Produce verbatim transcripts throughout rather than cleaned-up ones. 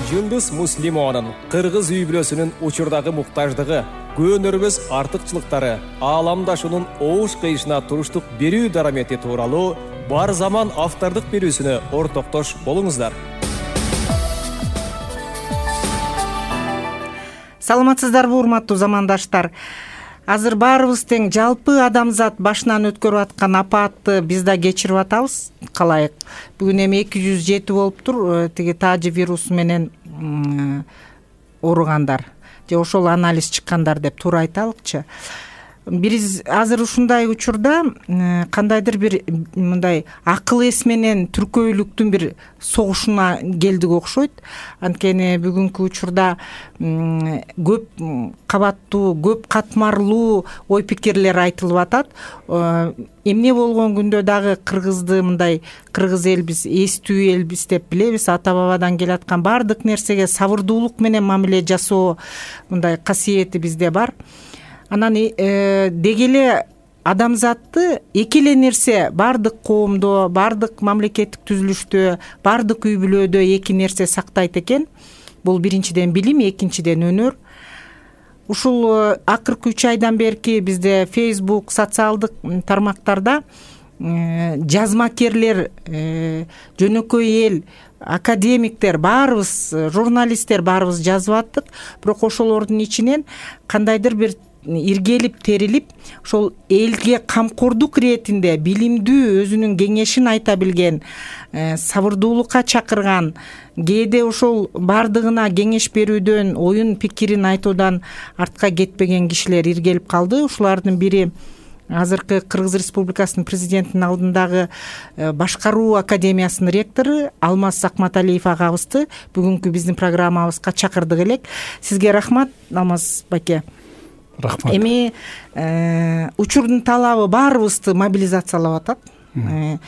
Жындыз Муслимованын кыргыз үй бүлөсүнүн учурдагы муктаждыгы, көөнөрбөс артыкчылыктары, ааламдашуунун оош кыйышына туруштук берүү дарамети тууралуу Бар заман автордук берүүсүнө ортоктош болуңуздар. Саламатсыздарбы, урматтуу замандаштар? Азыр баарыбыз тең жалпы адамзат башынан өткөрүп аткан апаатты биз да кечирип атабыз, калайык. Бүгүн эми эки жүз жети болуптур тиги таажи вирусу менен ооругандар же ошол анализ чыккандар деп туура айталыкчы. Биз азыр ушундай учурда кандайдыр бир мындай акыл эс менен түркөйлүктүн бир согушуна келдик окшойт. Анткени бүгүнкү учурда көп кабаттуу, көп катмарлуу ой пикирлер айтылып атат. Эмне болгон күндө дагы кыргызды мындай кыргыз элбиз, эстүү элбиз деп билебиз. Ата бабадан келаткан баардык нерсеге сабырдуулук менен мамиле жасоо мындай касиети бизде бар. Анан э, деги эле адамзатты эки эле нерсе баардык коомдо, баардык мамлекеттик түзүлүштө, баардык үй бүлөдө эки нерсе сактайт экен. Бул биринчиден билим, экинчиден өнөр. Ушул акыркы үч айдан берки бизде Facebook, социалдык тармактарда э, жазмакерлер, э, жөнөкөй эл, академиктер, баарыбыз, журналисттер баарыбыз жазып аттык. Бирок ошолордун ичинен кандайдыр бир иргелип терилип ошол элге камкордук иретинде билимдүү, өзүнүн кеңешин айта билген, э, сабырдуулукка чакырган, кээде ошол бардыгына кеңеш берүүдөн, оюн пикирин айтуудан артка кетпеген кишилер иргелип калды. Ушулардын бири азыркы Кыргыз Республикасынын президентинин алдындагы башкаруу академиясынын ректору Алмаз Акматалиев агабызды бүгүнкү биздин программабызга чакырдык элек. Сизге рахмат, Алмаз байке. Рахмат. Эми э, учурдун талабы баарыбызды мобилизациялап атат. Э,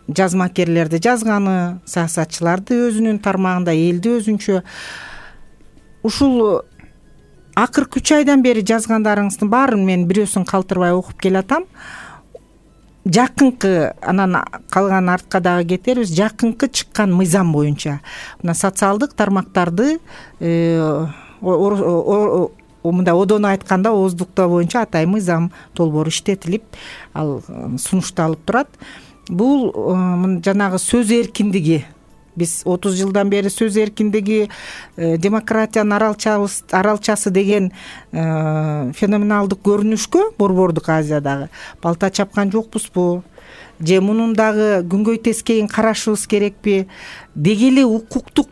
жазмакерлерди жазганы, саясатчыларды өзүнүн тармагында, элди өзүнчө. Ушул акыркы үч айдан бери жазгандарыңыздын баарын мен бирөөсүн калтырбай окуп келатам. Жакынкы, анан калган артка дагы кетербиз. Жакынкы чыккан мыйзам боюнча мына социалдык тармактарды э, мындай одоно айтканда ооздуктоо боюнча атайын мыйзам долбоору иштетилип, ал сунушталып турат. Бул жанагы сөз эркиндиги, биз отуз жылдан бери сөз эркиндиги, демократиянын аралчабыз, аралчасы деген феноменалдык көрүнүшкө Борбордук Азиядагы балта чапкан жокпузбу? Же мунун дагы күнгөй тескейин карашыбыз керекпи? Деги эле укуктук,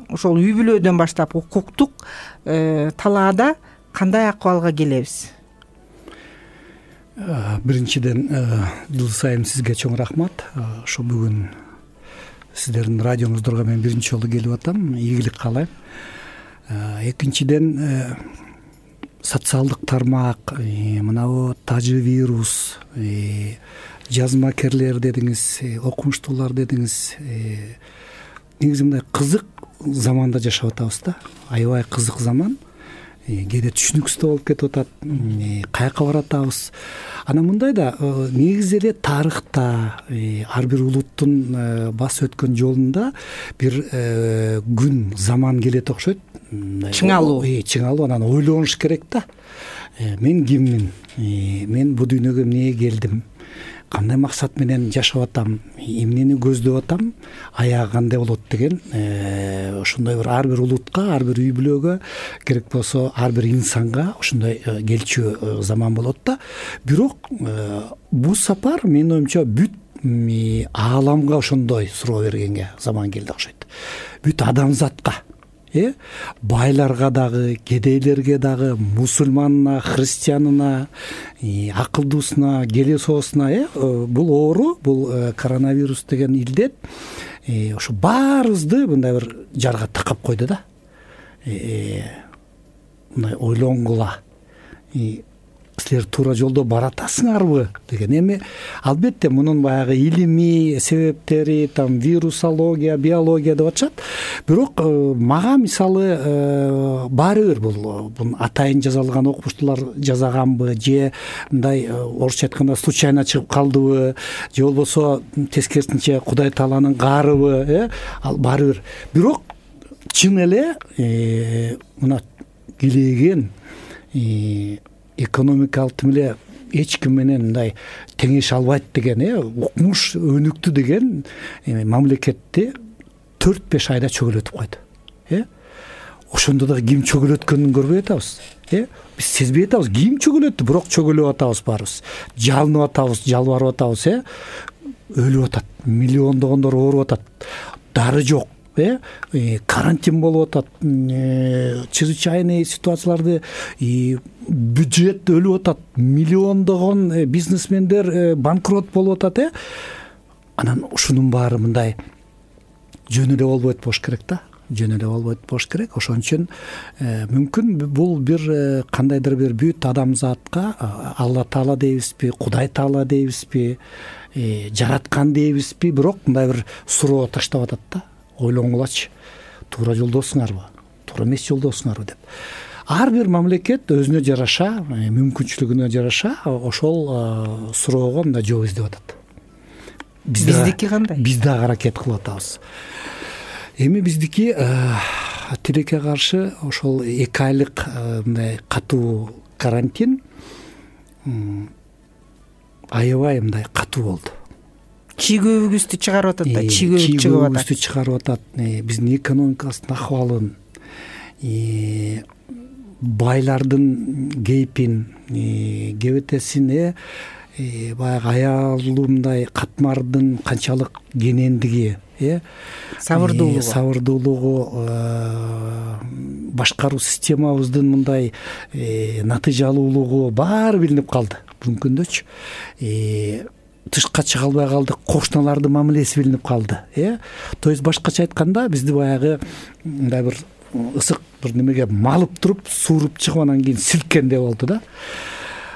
ошол үй бүлөдөн баштап укуктук э, талаада кандай акыбалга келебиз? Биринчиден жыл сайын сизге чоң рахмат. Ошо бүгүн сиздердин радионуздорго мен биринчи жолу келип атам. Ийгилик каалайм. Экинчиден социалдык тармак, мынабу тажы вирус, жазмакерлер дедиңиз, окумуштуулар дедиңиз. Негизи мындай кызык заманда жашап атабыз да. Аябай кызык заман. Кээде түшүнүксүз болуп кетип атат. Каяка баратабыз? Анан мындай да негизи эле тарыхта ар бир улуттун басып өткөн жолунда бир күн, заман келет окшойт. Чыңалуу. Чыңалуу, анан ойлонуш керек да. Мен киммин? Мен бул дүйнөгө эмнеге келдим? Кандай максат менен жашап атам, эмнени көздөп атам, аягы кандай болот деген ошондой бир ар бир улутка, ар бир үй бүлөгө, керек болсо ар бир инсанга ошондой келчү заман болот да. Бирок бул сапар менин оюмча бүт ааламга ошондой суроо бергенге заман келди окшойт. Бүт адамзатка, э байларга дагы, кедейлерге дагы, мусулманына, христианына, акылдуусуна, келесоосуна, э бул оору, бул коронавирус деген илдет ошо баарыбызды мындай бир жарга такап койду да. Мындай ойлонгула. Силер туура жолдо баратасыңарбы деген. Эми албетте мунун баягы илимий себептери, там вирусология, биология деп атышат. Бирок мага мисалы баары бир бул бун атайын жазалган окумуштуулар жазаганбы, же мындай орусча айтканда случайно чыгып калдыбы, же болбосо тескерисинче Кудай Тааланын каарыбы, э ал баары бир. Бирок чын эле мына килеген экономикалык эле эч ким менен мындай теңеше албайт деген э укмуш өнүктү деген мамлекетти төрт беш айда чөгөлөтүп койду. э Ошондо дагы ким чөгөлөткөнүн көрбөй атабыз. э Биз сезбей атабыз ким чөгөлөттү, бирок чөгөлөп атабыз баарыбыз. Жалынып атабыз, жалбарып атабыз, э өлүп атат, миллиондогондор ооруп атат, дары жок, э карантин болуп атат, чрезвычайный ситуацияларды, бюджет өлүп атат, миллиондогон бизнесмендер банкрот болуп атат, э анан ушунун баары мындай жөн эле болбойт болуш керек да. жөн эле болбойт болуш керек. Ошон үчүн мүмкүн бул бир кандайдыр бир бүт адамзатка Алла Таала дейбизби, Кудай Таала дейбизби, жараткан дейбизби, бирок мындай бир суроо таштап атат да. Ойлоңулачы, туура жолдосуңарбы, туура эмес жолдосуңарбы деп. Ар бир мамлекет өзүнө жараша, мүмкүнчүлүгүнө жараша ошол суроого мындай жооп издеп атат. Биздики кандай? Биз да аракет кылып атабыз. Эми биздики тилекке каршы ошол эки айлык мындай катуу карантин аябай мындай катуу болду. Чийгөбүгүздү чыгарып атат да, чийгөбүк чыгып атат. Чийгөбүгүздү чыгарып атат. Биздин экономикабыздын ахыбалын, байлардын кейпин, кебетесин, баягы аялуу мындай катмардын канчалык кенендиги, э сабырдуулугу сабырдуулугу башкаруу системабыздын мындай натыйжалуулугу баары билинип калды. Бүгүнкү күндөчү тышка чыга албай калдык, кошуналардын мамилеси билинип калды. э То есть башкача айтканда бизди баягы мындай бир ысык бир немеге малып туруп, сууруп чыгып анан кийин силккендей болду да.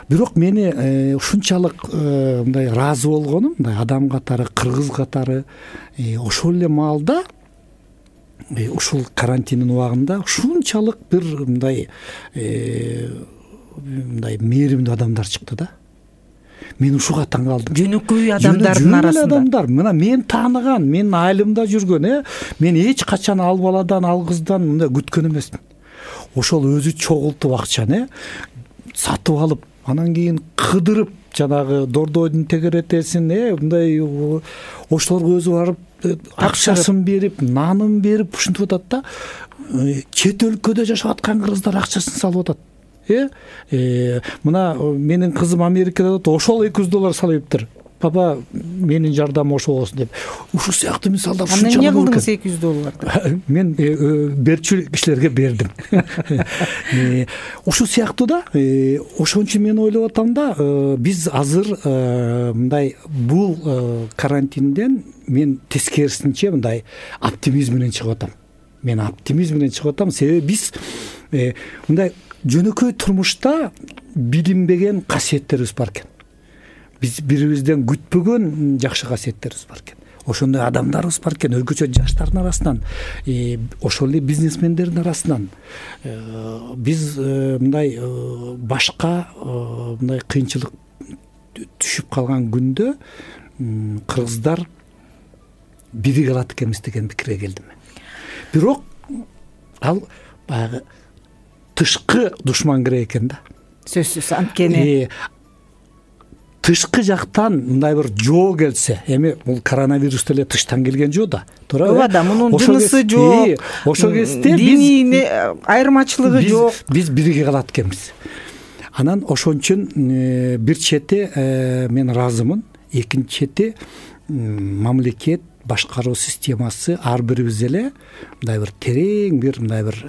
Бирок мени ушунчалык мындай ыраазы болгонум, мындай адам катары, кыргыз катары ошол эле маалда ушул карантиндин убагында ушунчалык бир мындай мындай мээримдүү адамдар чыкты да. Мен ушуга таң калдым. Жөнөкөй адамдардын арасында. Адамдар, мына мен тааныган, менин айылымда жүргөн, э мен эч качан ал баладан, ал кыздан мындай күткөн эмесмин. Ошол өзү чогултуп акчаны, э сатып алып, анан кийин кыдырып, жанагы дордойдун тегеретесин, э мындай ошолорго өзү барып акчасын берип, нанын берип ушинтип атат да. Чет өлкөдө жашап аткан кыргыздар акчасын салып атат. э мына менин кызым Америкада отуруп, ошол эки жүз доллар салыптыр. Папа, менин жардамым ошо болсун деп. Ушул сыяктуу мисалдар ушунчалык. Анан эмне кылдыңыз эки жүз долларды? Мен берчү кишилерге бердим. Ушул сыяктуу да, ошон үчүн мен ойлоп атам да, биз азыр мындай бул карантинден мен тескерисинче мындай оптимизм менен чыгып атам. Мен оптимизм менен чыгып атам, себеби биз мындай жөнөкөй турмушта билинбеген касиеттерибиз бар экен. Биз бирибизден күтпөгөн жакшы касиеттерибиз бар экен. Ошондой адамдарыбыз бар экен, өзгөчө жаштардын арасынан, ошол эле бизнесмендердин арасынан. Биз мындай башка мындай кыйынчылык түшүп калган күндө кыргыздар бириге алат экенбиз деген пикирге келдим мен. Бирок ал баягы тышкы душман керек экен да. Сөзсүз анткени тышкы жактан мындай бир жоо келсе, эми бул коронавирус деле тыштан келген жоо да. Туурабы? Ооба да, мунун жынысы жок. Ошол кезде диний айырмачылыгы жок. Биз бириге калат экенбиз. Анан ошон үчүн бир чети мен ыраазымын, экинчи чети мамлекет башкаруу системасы ар бирибиз эле мындай бир терең бир мындай бир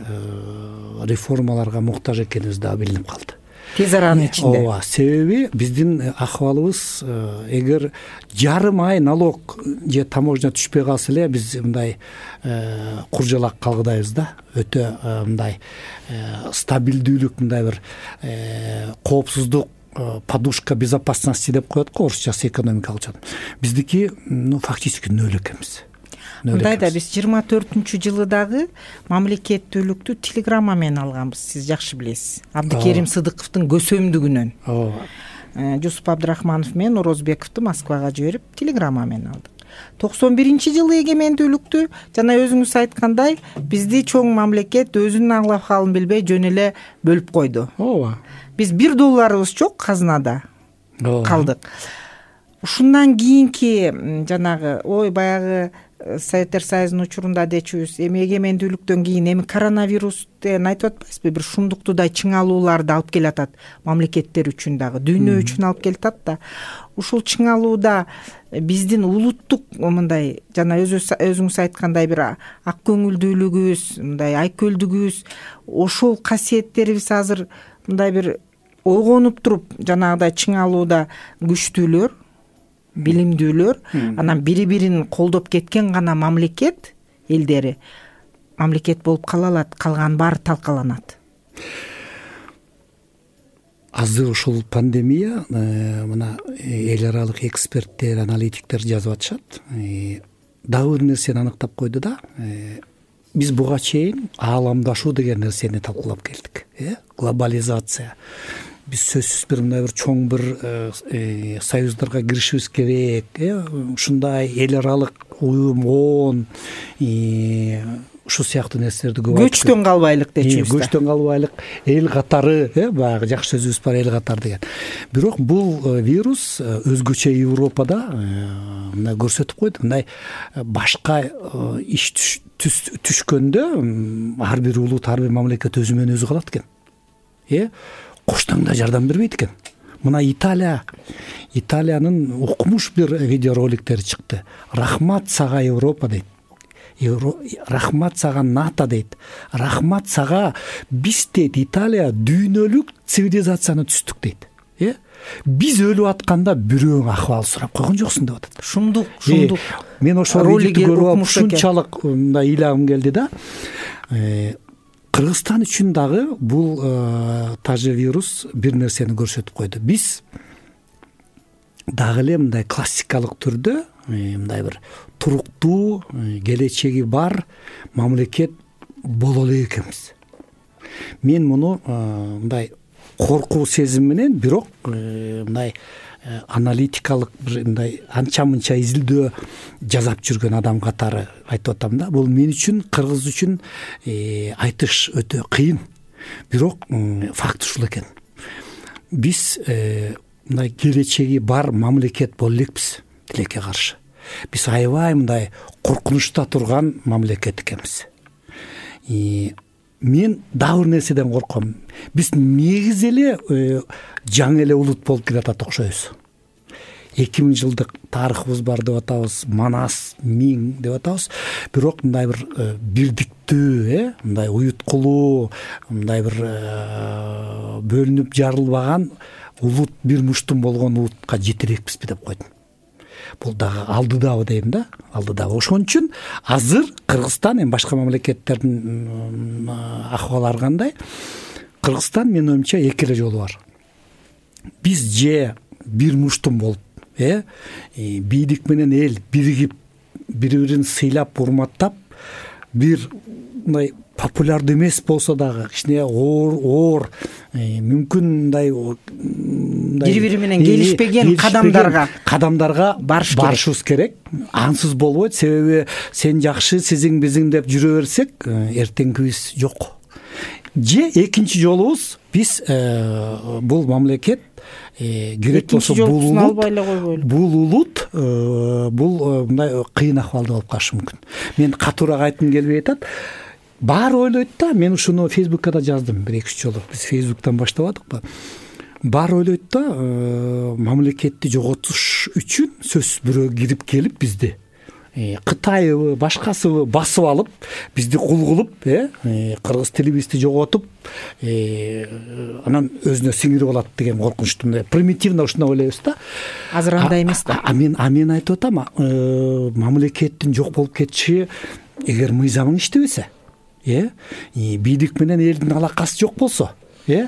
реформаларга муктаж экенибиз да билинип калды. Тез аранын ичинде. Ооба, себеби биздин ахыбалыбыз эгер жарым ай налог же таможня түшпөй калса эле биз мындай куржалак калгыдайбыз да. Өтө мындай стабилдүүлүк, мындай бир коопсуздук, подушка безопасности деп коет го орусчасы экономикалык жактан. Биздики ну фактически нөл экенбиз. Мындайда биз жыйырма төртүнчү жылы дагы мамлекеттүүлүктү телеграмма менен алганбыз, сиз жакшы билесиз. Абдыкерим Сыдыковдун көсөмдүгүнөн. Ооба. Жусуп Абдрахманов менен Орозбековду Москвага жиберип телеграмма менен алдык. токсон биринчи жылы эгемендүүлүктү жана өзүңүз айткандай бизди чоң мамлекет өзүнүн аңлап абалын билбей жөн эле бөлүп койду. ооба. Биз бир долларыбыз жок казынада калдык. Ушундан кийинки жанагы ой баягы Советтер Союзунун учурунда дечүбүз, эми эгемендүүлүктөн кийин эми коронавирус деген айтып атпайсызбы, бир шундуктуудай чыңалууларды алып келатат мамлекеттер үчүн дагы, дүйнө үчүн алып келатат да. Ушул чыңалууда биздин улуттук мындай жана өзүңүз айткандай бир ак көңүлдүүлүгүбүз, мындай айкөлдүгүбүз, ошол касиеттерибиз азыр мындай бир ойгонуп туруп жанагыдай чыңалууда күчтүүлөр, билимдүүлөр, анан бири-бирин колдоп кеткен гана мамлекет элдери мамлекет болуп кала алат, калган баары талкаланат. Азыр ушул пандемия мына эл аралык эксперттер, аналитиктер жазып атышат. Дагы бир нерсени аныктап койду да. Биз буга чейин ааламдашуу деген нерсени талкуулап келдик, э? Глобализация. Биз сөзсүз бир мындай бир чоң бир союздарга киришибиз керек, э? Ушундай эл аралык уюм, ООН, ушул сыяктуу нерселерди көп айтып көчтөн калбайлык дечүбүз. Көчтөн калбайлык, эл катары, э? Баягы жакшы сөзүбүз бар, эл катары деген. Бирок бул вирус өзгөчө Европада мындай көрсөтүп койду. Мындай башка иш түшкөндө ар бир улут, ар бир мамлекет өзү менен өзү калат экен. Э? Коштоң да жардам бербейт экен. Мына Италия, Италиянын укмуш бир видеороликтери чыкты. Рахмат сага Европа дейт. Рахмат сага НАТО дейт. Рахмат сага биз дейт, Италия дүйнөлүк цивилизацияны түздүк дейт. Э? Биз өлүп атканда бирөөң акыбал сурап койгон жоксуң деп атат. Шундук, шундук. Мен ошол роликти көрүп алып ушунчалык мындай ыйлагым келди да. Кыргызстан үчүн дагы бул тажы вирус бир нерсени көрсөтүп койду. Биз дагы эле мындай классикалык түрдө мындай бир туруктуу, келечеги бар мамлекет боло элек экенбиз. Мен муну мындай коркуу сезим менен, бирок мындай аналитикалык бир мындай анча-мынча изилдөө жасап жүргөн адам катары айтып атам да. Бул мен үчүн, кыргыз үчүн айтыш өтө кыйын. Бирок факт ушул экен. Биз мындай келечеги бар мамлекет боло элекпиз тилекке каршы. Биз аябай мындай коркунучта турган мамлекет экенбиз. Мен дагы бир нерседен корком. Биз негизи эле жаңы эле улут болуп келатат окшойбуз. эки миң жылдык тарыхыбыз бар деп атабыз, манас, миң деп атабыз. Бирок мындай бир бирдиктүү, э, мындай уюткулуу, мындай бир бөлүнүп жарылбаган улут, бир муштум болгон улутка жете элекпизби деп койдум. Бул дагы алдыдабы дейм да, алдыдабы. Ошон үчүн азыр Кыргызстан, эми башка мамлекеттердин акыбалары кандай? Кыргызстан менин оюмча эки эле жолу бар. Биз же бир муштум болуп, э, бийлик менен эл биригип, бири-бирин сыйлап, урматтап, бир мындай популярдуу эмес болсо дагы кичине оор, оор, мүмкүн мындай бири-бири менен келишпеген кадамдарга кадамдарга барышыбыз керек. Ансыз болбойт, себеби сен жакшы, сизиң биздин деп жүрө берсек, эртеңкибиз жок. Же экинчи жолубуз биз бул мамлекет керек болсо бул улут, бул улут бул мындай кыйын акыбалда болуп калышы мүмкүн. Мен катуураак айткым келбей атат. Баары ойлойт да, мен ушуну Фейсбукка да жаздым бир эки үч жолу. Биз Фейсбуктан баштабадыкпы? Баары ойлойт да, мамлекетти жоготуш үчүн сөзсүз бирөө кирип келип бизди Кытайбы, башкасыбы басып алып, бизди кул кылып, э, кыргыз тилибизди жоготуп, анан өзүнө сиңирип алат деген коркунучту примитивно ушундай ойлойбуз да. Азыр андай эмес да. А мен а мен айтып атам, мамлекеттин жок болуп кетиши эгер мыйзамың иштебесе, э, бийлик менен элдин алакасы жок болсо, э,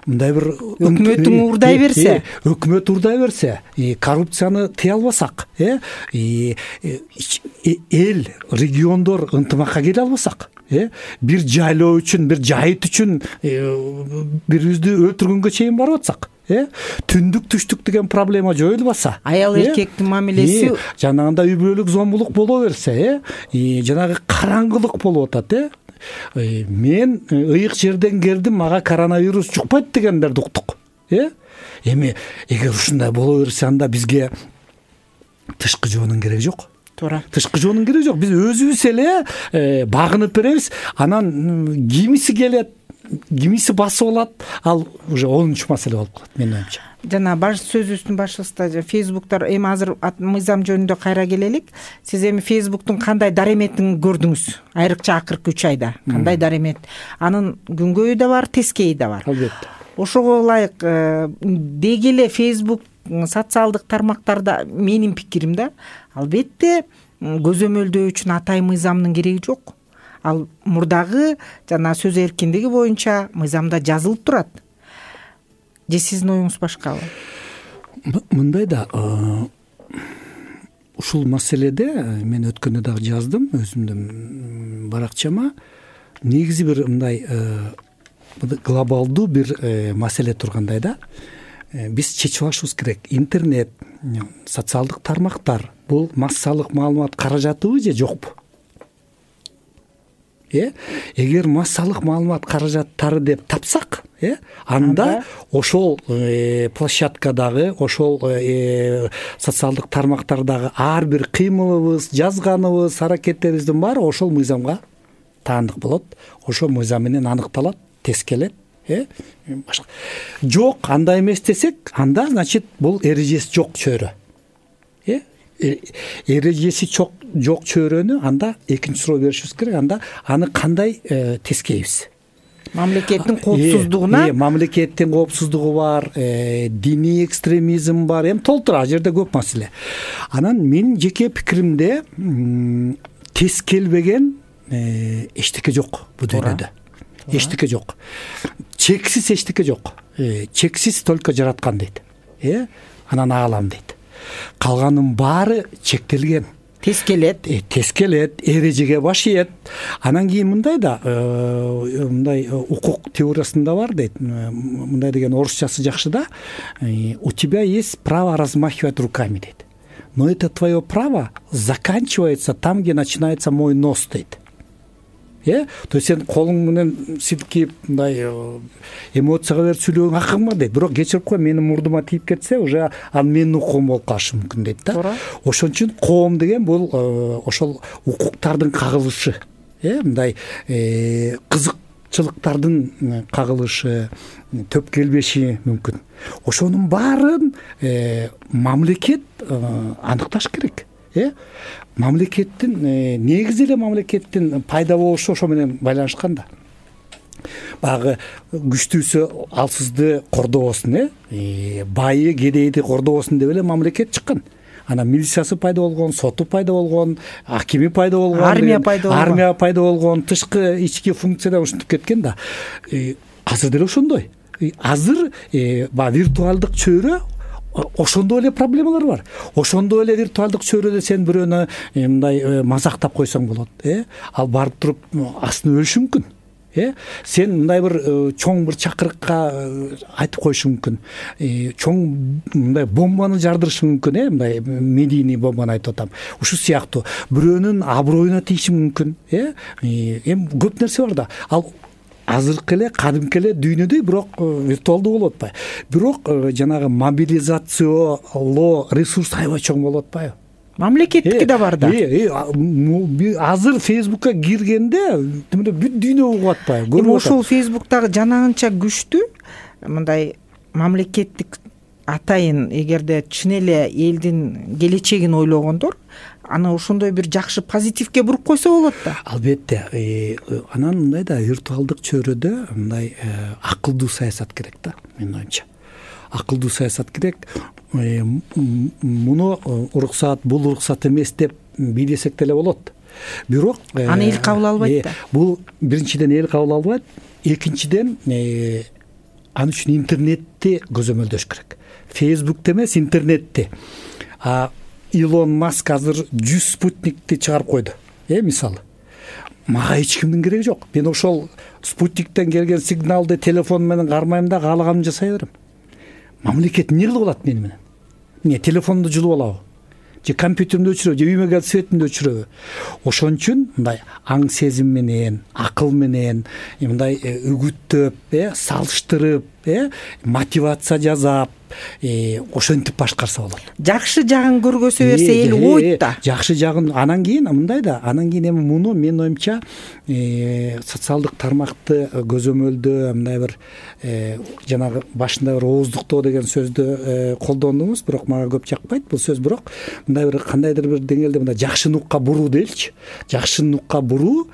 мындай бир өкмөтүң уурдай берсе, өкмөт уурдай берсе, коррупцияны тыя албасак, э, эл, региондор ынтымакка келе албасак, э, бир жайлоо үчүн, бир жайыт үчүн бирибизди өлтүргөнгө чейин барып атсак, э түндүк түштүк деген проблема жоюлбаса, аял эркектин мамилеси жанагындай үй бүлөлүк зомбулук боло берсе, э жанагы караңгылык болуп атат, э мен ыйык жерден келдим, мага коронавирус жукпайт дегендерди уктук. э эми эгер ушундай боло берсе, анда бизге тышкы жоонун кереги жок. туура, тышкы жоонун кереги жок. Биз өзүбүз эле багынып беребиз, анан кимиси келет, кимиси басып алат, ал уже онунчу маселе болуп калат менин оюмча. жана баш сөзүбүздүн башыбызда фейсбуктар эми азыр мыйзам жөнүндө кайра келелик. Сиз эми фейсбуктун кандай дареметин көрдүңүз? Айрыкча акыркы үч айда кандай даремет? Анын күнгөйү да бар, тескейи да бар. Албетте. Ошого ылайык деги эле фейсбук социалдык тармактарда менин пикирим да, албетте көзөмөлдөө үчүн атайын мыйзамдын кереги жок. Ал мурдагы жана сөз эркиндиги боюнча мыйзамда жазылып турат. Же сиздин оюңуз башкабы? Мындай да, ушул маселеде мен өткөндө дагы жаздым өзүмдүн баракчама. Негизи бир мындай глобалдуу бир маселе тургандай да. Биз чечип алышыбыз керек. Интернет, социалдык тармактар бул массалык маалымат каражатыбы же жокпу? Э, эгер массалык маалымат каражаттары деп тапсак, э, анда ошол площадкадагы, ошол социалдык тармактардагы ар бир кыймылыбыз, жазганыбыз, аракеттерибиздин баары ошол мыйзамга таандык болот. Ошол мыйзам менен аныкталат, тескелет. Э, башка жок, андай эмес десек, анда значит бул эрежеси жок чөйрө. Э, эрежеси жок жок чөйрөнү анда экинчи суроо беришибиз керек. Анда аны кандай тескейбиз? Мамлекеттин коопсуздугуна. Э, мамлекеттин коопсуздугу бар, диний экстремизм бар, эми толтура, ал жерде көп маселе. Анан менин жеке пикиримде тескелбеген эчтеке жок бул дүйнөдө. Эчтеке жок. Чексиз эчтеке жок. Чексиз только жараткан дейт. Э, анан аалам дейт. Калганын баары чектелген. Тескелет, тескелет, эрежеге баш ийет. Анан кийин мындай да, мындай укук теориясында бар дейт. Мындай деген орусчасы жакшы да. У тебя есть право размахивать руками дейт. Но это твое право заканчивается там, где начинается мой нос дейт. Э, то есть сен колуң менен силкип мындай эмоцияга берип сүйлөгөн акың бар дейт. Бирок кечирип кой, менин мурдума тийип кетсе, уже ал менин укугум болуп калышы мүмкүн дейт да. Ошон үчүн коом деген бул ошол укуктардын кагылышы, э, мындай кызыкчылыктардын кагылышы, төп келбеши мүмкүн. Ошонун баарын мамлекет аныкташ керек. Э, мамлекеттин негизи эле мамлекеттин пайда болушу ошо менен байланышкан да. Багы күчтүүсү алсызды кордобосун, э, байы кедейди кордобосун деп эле мамлекет чыккан. Анан милициясы пайда болгон, соту пайда болгон, акими пайда болгон, армия пайда болгон, армия пайда болгон, тышкы ички функцияда ушинтип кеткен да. Азыр деле ошондой. Азыр баягы виртуалдык чөйрө ошондой эле проблемалар бар. Ошондой эле виртуалдык чөйрөдө сен бирөөнү мындай мазактап койсоң болот, э, ал барып туруп астына өлүшү мүмкүн. Э, сен мындай бир чоң бир чакырыкка айтып коюшу мүмкүн. Чоң мындай бомбаны жардырышы мүмкүн, э, мындай медийный бомбаны айтып атам. Ушул сыяктуу бирөөнүн аброюна тийиши мүмкүн, э. Эми көп нерсе бар да. Ал азыркы эле кадимки эле дүйнөдө бирок виртуалдуу болуп атпайбы? Бирок жанагы мобилизациялоо ресурс аябай чоң болуп атпайбы? Мамлекеттики да бар да. Азыр Фейсбукка киргенде бүт дүйнө угуп атпайбы? Эми ошол Фейсбуктагы жанагынча күчтүү мындай мамлекеттик атайын эгерде чын эле элдин келечегин ойлогондор аны ошондой бир жакшы позитивке буруп койсо болот да. Албетте. Анан мындай да виртуалдык чөйрөдө мындай акылдуу саясат керек да, менин оюмча. Акылдуу саясат керек. Муну уруксат, бул уруксат эмес деп бийлесек деле болот. Бирок аны эл кабыл албайт да. Бул биринчиден эл кабыл албайт, экинчиден аны үчүн интернетти көзөмөлдөш керек. Фейсбукте эмес, интернетте. А Илон Маск азыр жүз спутникти чыгарып койду. Э, мисалы. Мага эч кимдин кереги жок. Мен ошол спутниктен келген сигналды телефон менен кармайм да каалаганымды жасай берем. мамлекет эмне кылып алат мени менен? Эмне телефонду жулуп алабы же компьютеримди өчүрөбү же үйүмө келип светимди өчүрөбү? Ошон үчүн мындай аң сезим менен, акыл менен мындай үгүттөп, э салыштырып, э мотивация жасап, ошентип башкарса болот. Жакшы жагын көргөзө берсе эл ойт да. Жакшы жагын анан кийин мындай да, анан кийин эми муну менин оюмча социалдык тармакты көзөмөлдөө мындай бир жанагы башында бир ооздуктоо деген сөздү колдондуңуз, бирок мага көп жакпайт бул сөз. Бирок мындай бир кандайдыр бир деңгээлде мындай жакшы нукка буруу дейчи. Жакшы нукка буруу,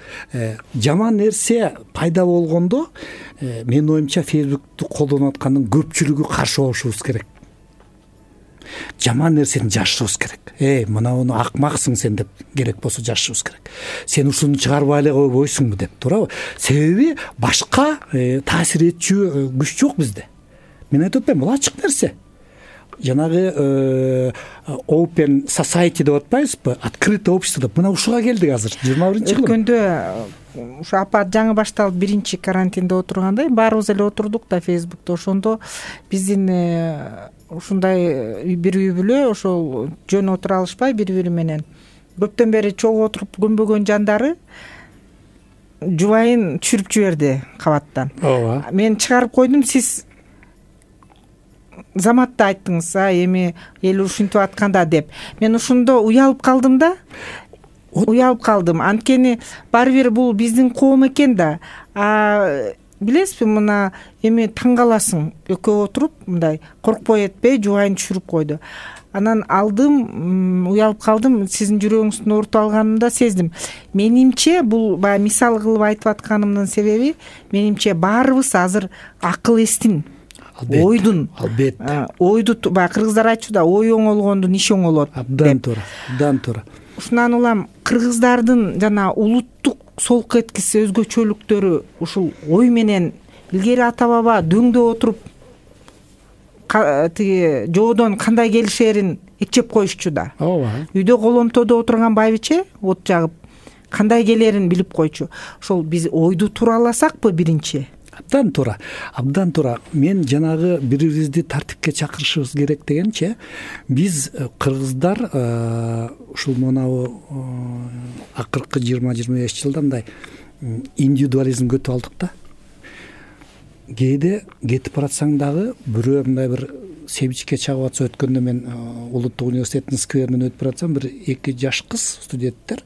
жаман нерсе пайда болгондо менин оюмча Facebook'ту колдонуп аткандын көпчүлүгү каршы болушубуз керек. Жаман нерсени жашырыбыз керек. Эй, мынауну акмаксың сен деп керек болсо жашырыбыз керек. Сен ушуну чыгарбай эле койбойсуңбу деп, туурабы? Себеби башка таасир этчү күч жок бизде. Мен айтып атпайм, бул ачык нерсе. Жанагы open society деп атпайбызбы? Открытое общество деп. Мына ушуга келдик азыр. жыйырма биринчи жылы. Өткөндө ушу апат жаңы башталып биринчи карантинде отурганда баарыбыз эле отурдук да Facebook'та. Ошондо биздин ушундай бир үй бүлө ошол жөн отура алышпай бири-бири менен көптөн бери чогуу отуруп көнбөгөн жандары жубайын түшүрүп жиберди кабаттан. Ооба. Мен чыгарып койдум, сиз заматта айттыңыз, а эми эл ушинтип атканда деп. Мен ошондо уялып калдым да. Уялып калдым. Анткени баары бир бул биздин коом экен да. А билесизби, мына эми таң каласың, экөө отуруп мындай коркпой этпей жубайын түшүрүп койду. Анан алдым, уялып калдым, сиздин жүрөгүңүздүн оорутуп алганымда сездим. Менимче бул баягы мисал кылып айтып атканымдын себеби, менимче баарыбыз азыр акыл эстин, ойдун, албетте, ойду баягы кыргыздар айтчу да, ой оңолгондун иши оңолот. Абдан туура, абдан туура. Ушундан улам кыргыздардын жана улуттук солк эткиси өзгөчөлүктөрү ушул ой менен илгери ата баба дөңдө отуруп тиги жоодон кандай келишерин экчеп коюшчу да. Ооба. Үйдө коломтодо отурган байбиче от жагып кандай келерин билип койчу. Ошол биз ойду туураласакпы биринчи? Абдан туура, абдан туура. Мен жанагы бири-бирибизди тартипке чакырышыбыз керек дегенче, биз кыргыздар ушул монабу акыркы жыйырма жыйырма беш жылда мындай индивидуализм көтүп алдык да. Кээде кетип баратсаң дагы бирөө мындай бир семчикке чагып атса, өткөндө мен Улуттук университеттин скверинен өтүп баратсам, бир эки жаш кыз студенттер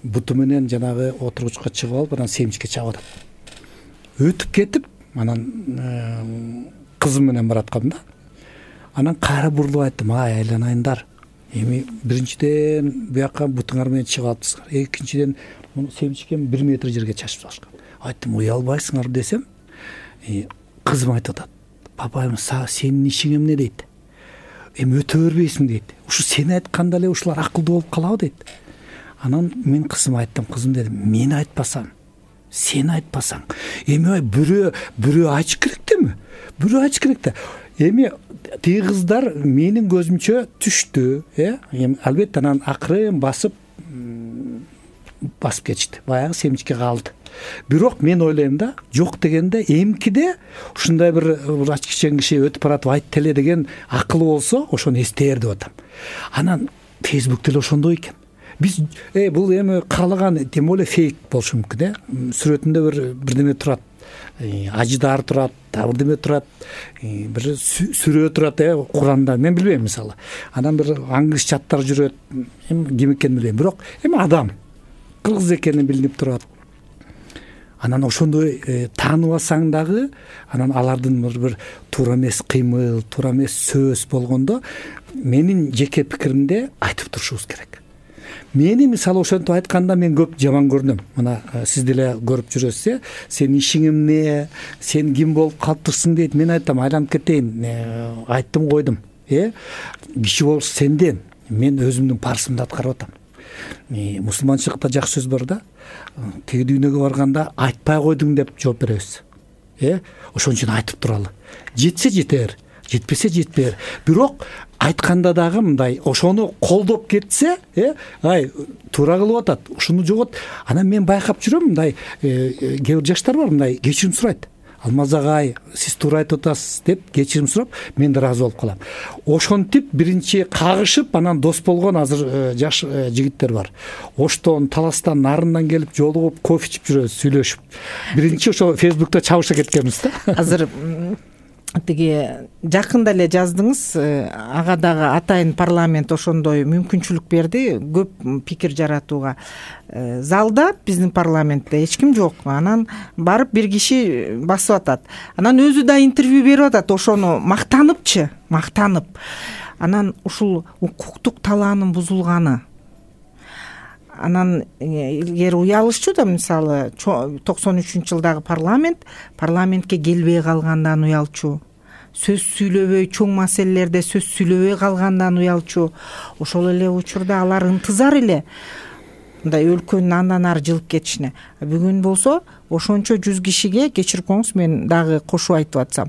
буту менен жанагы отургучка чыгып алып, анан семчикке чагып атат. Өтүп кетип, анан кызым менен бараткам да. Анан кайра бурулуп айттым, ай айланайындар. Эми биринчиден буяка бутуңар менен чыгып алыпсыздар. Экинчиден семчикем бир метр жерге чачып салышкан. Айттым, уялбайсыңар десем, кызым айтып атат. Папайым, сенин ишиң эмне дейт? Эми өтө бербейсиң дейт. Ушу сен айтканда эле ушулар акылдуу болуп калабы дейт. Анан мен кызыма айттым, кызым дедим, мен айтпасам, сен айтпасаң, эми ай бирөө бирөө айтыш керек деми? Бирөө айтыш керек да. Эми тиги кыздар менин көзүмчө түштү, э? Эми албетте анан акырын басып басып кетишти. Баягы семчикке калды. Бирок мен ойлойм да, жок дегенде эмкиде ушундай бир ачкичен киши өтүп баратып айтты эле деген акылы болсо, ошону эстээр деп атам. Анан Facebook деле ошондой экен. Биз э бул эми каалаган тем более фейк болушу мүмкүн, э? Сүрөтүндө бир бирдеме турат. Ажыдар турат, бирдеме турат, бир сүрө турат, э, Куранда. Мен билбейм мисалы. Анан бир аңгыз чаттар жүрөт. Эми ким экенин билбейм, бирок эми адам кыргыз экени билинип турат. Анан ошондой тааныбасаң дагы, анан алардын бир туура эмес кыймыл, туура эмес сөз болгондо, менин жеке пикиримде айтып турушубуз керек. Мени мисалы ошентип айтканда мен көп жаман көрүнөм. Мына сиз деле көрүп жүрөсүз, сен ишиң эмне, сен ким болуп калыптырсың дейт. Мен айтам, айланып кетейин, айттым койдум. Э, киши болуш сенден, мен өзүмдүн парсымды аткарып атам. Мусулманчылыкта жакшы сөз бар да. Теги дүйнөгө барганда айтпай койдуң деп жооп беребиз. Э, ошон үчүн айтып туралы. Жетсе жетер, жетпесе жетпер. Бирок айтканда дагы мындай ошону колдоп кетсе, э, ай туура кылып атат, ушуну жогот. Анан мен байкап жүрөм, мындай кээ бир жаштар бар, мындай кечирим сурайт. Алмаз агай, сиз туура айтып атасыз деп кечирим сурап, мен да ыраазы болуп калам. Ошентип биринчи кагышып, анан дос болгон азыр жаш жигиттер бар. Оштон, Таластан, нарындан келип жолугуп, кофе ичип жүрөбүз, сүйлөшүп. Биринчи ошо Фейсбукта чабыша кеткенбиз да. Азыр тиги жакында эле жаздыңыз, ага дагы атайын парламент ошондой мүмкүнчүлүк берди, көп пикир жаратууга. Залда биздин парламентте эч ким жок. Анан барып бир киши басып атат. Анан өзү да интервью берип атат, ошону мактаныпчы, мактанып. Анан ушул укуктук талаанын бузулганы. Анан эгер уялышчу да, мисалы токсон үчүнчү жылдагы парламент парламентке келбей калгандан уялчу, сөз сүйлөбөй, чоң маселелерде сөз сүйлөбөй калгандан уялчу. Ошол эле учурда алар ынтызар эле мындай өлкөнүн андан ары жылып кетишине. Бүгүн болсо ошончо жүз кишиге, кечирип коңуз, мен дагы кошуп айтып атсам,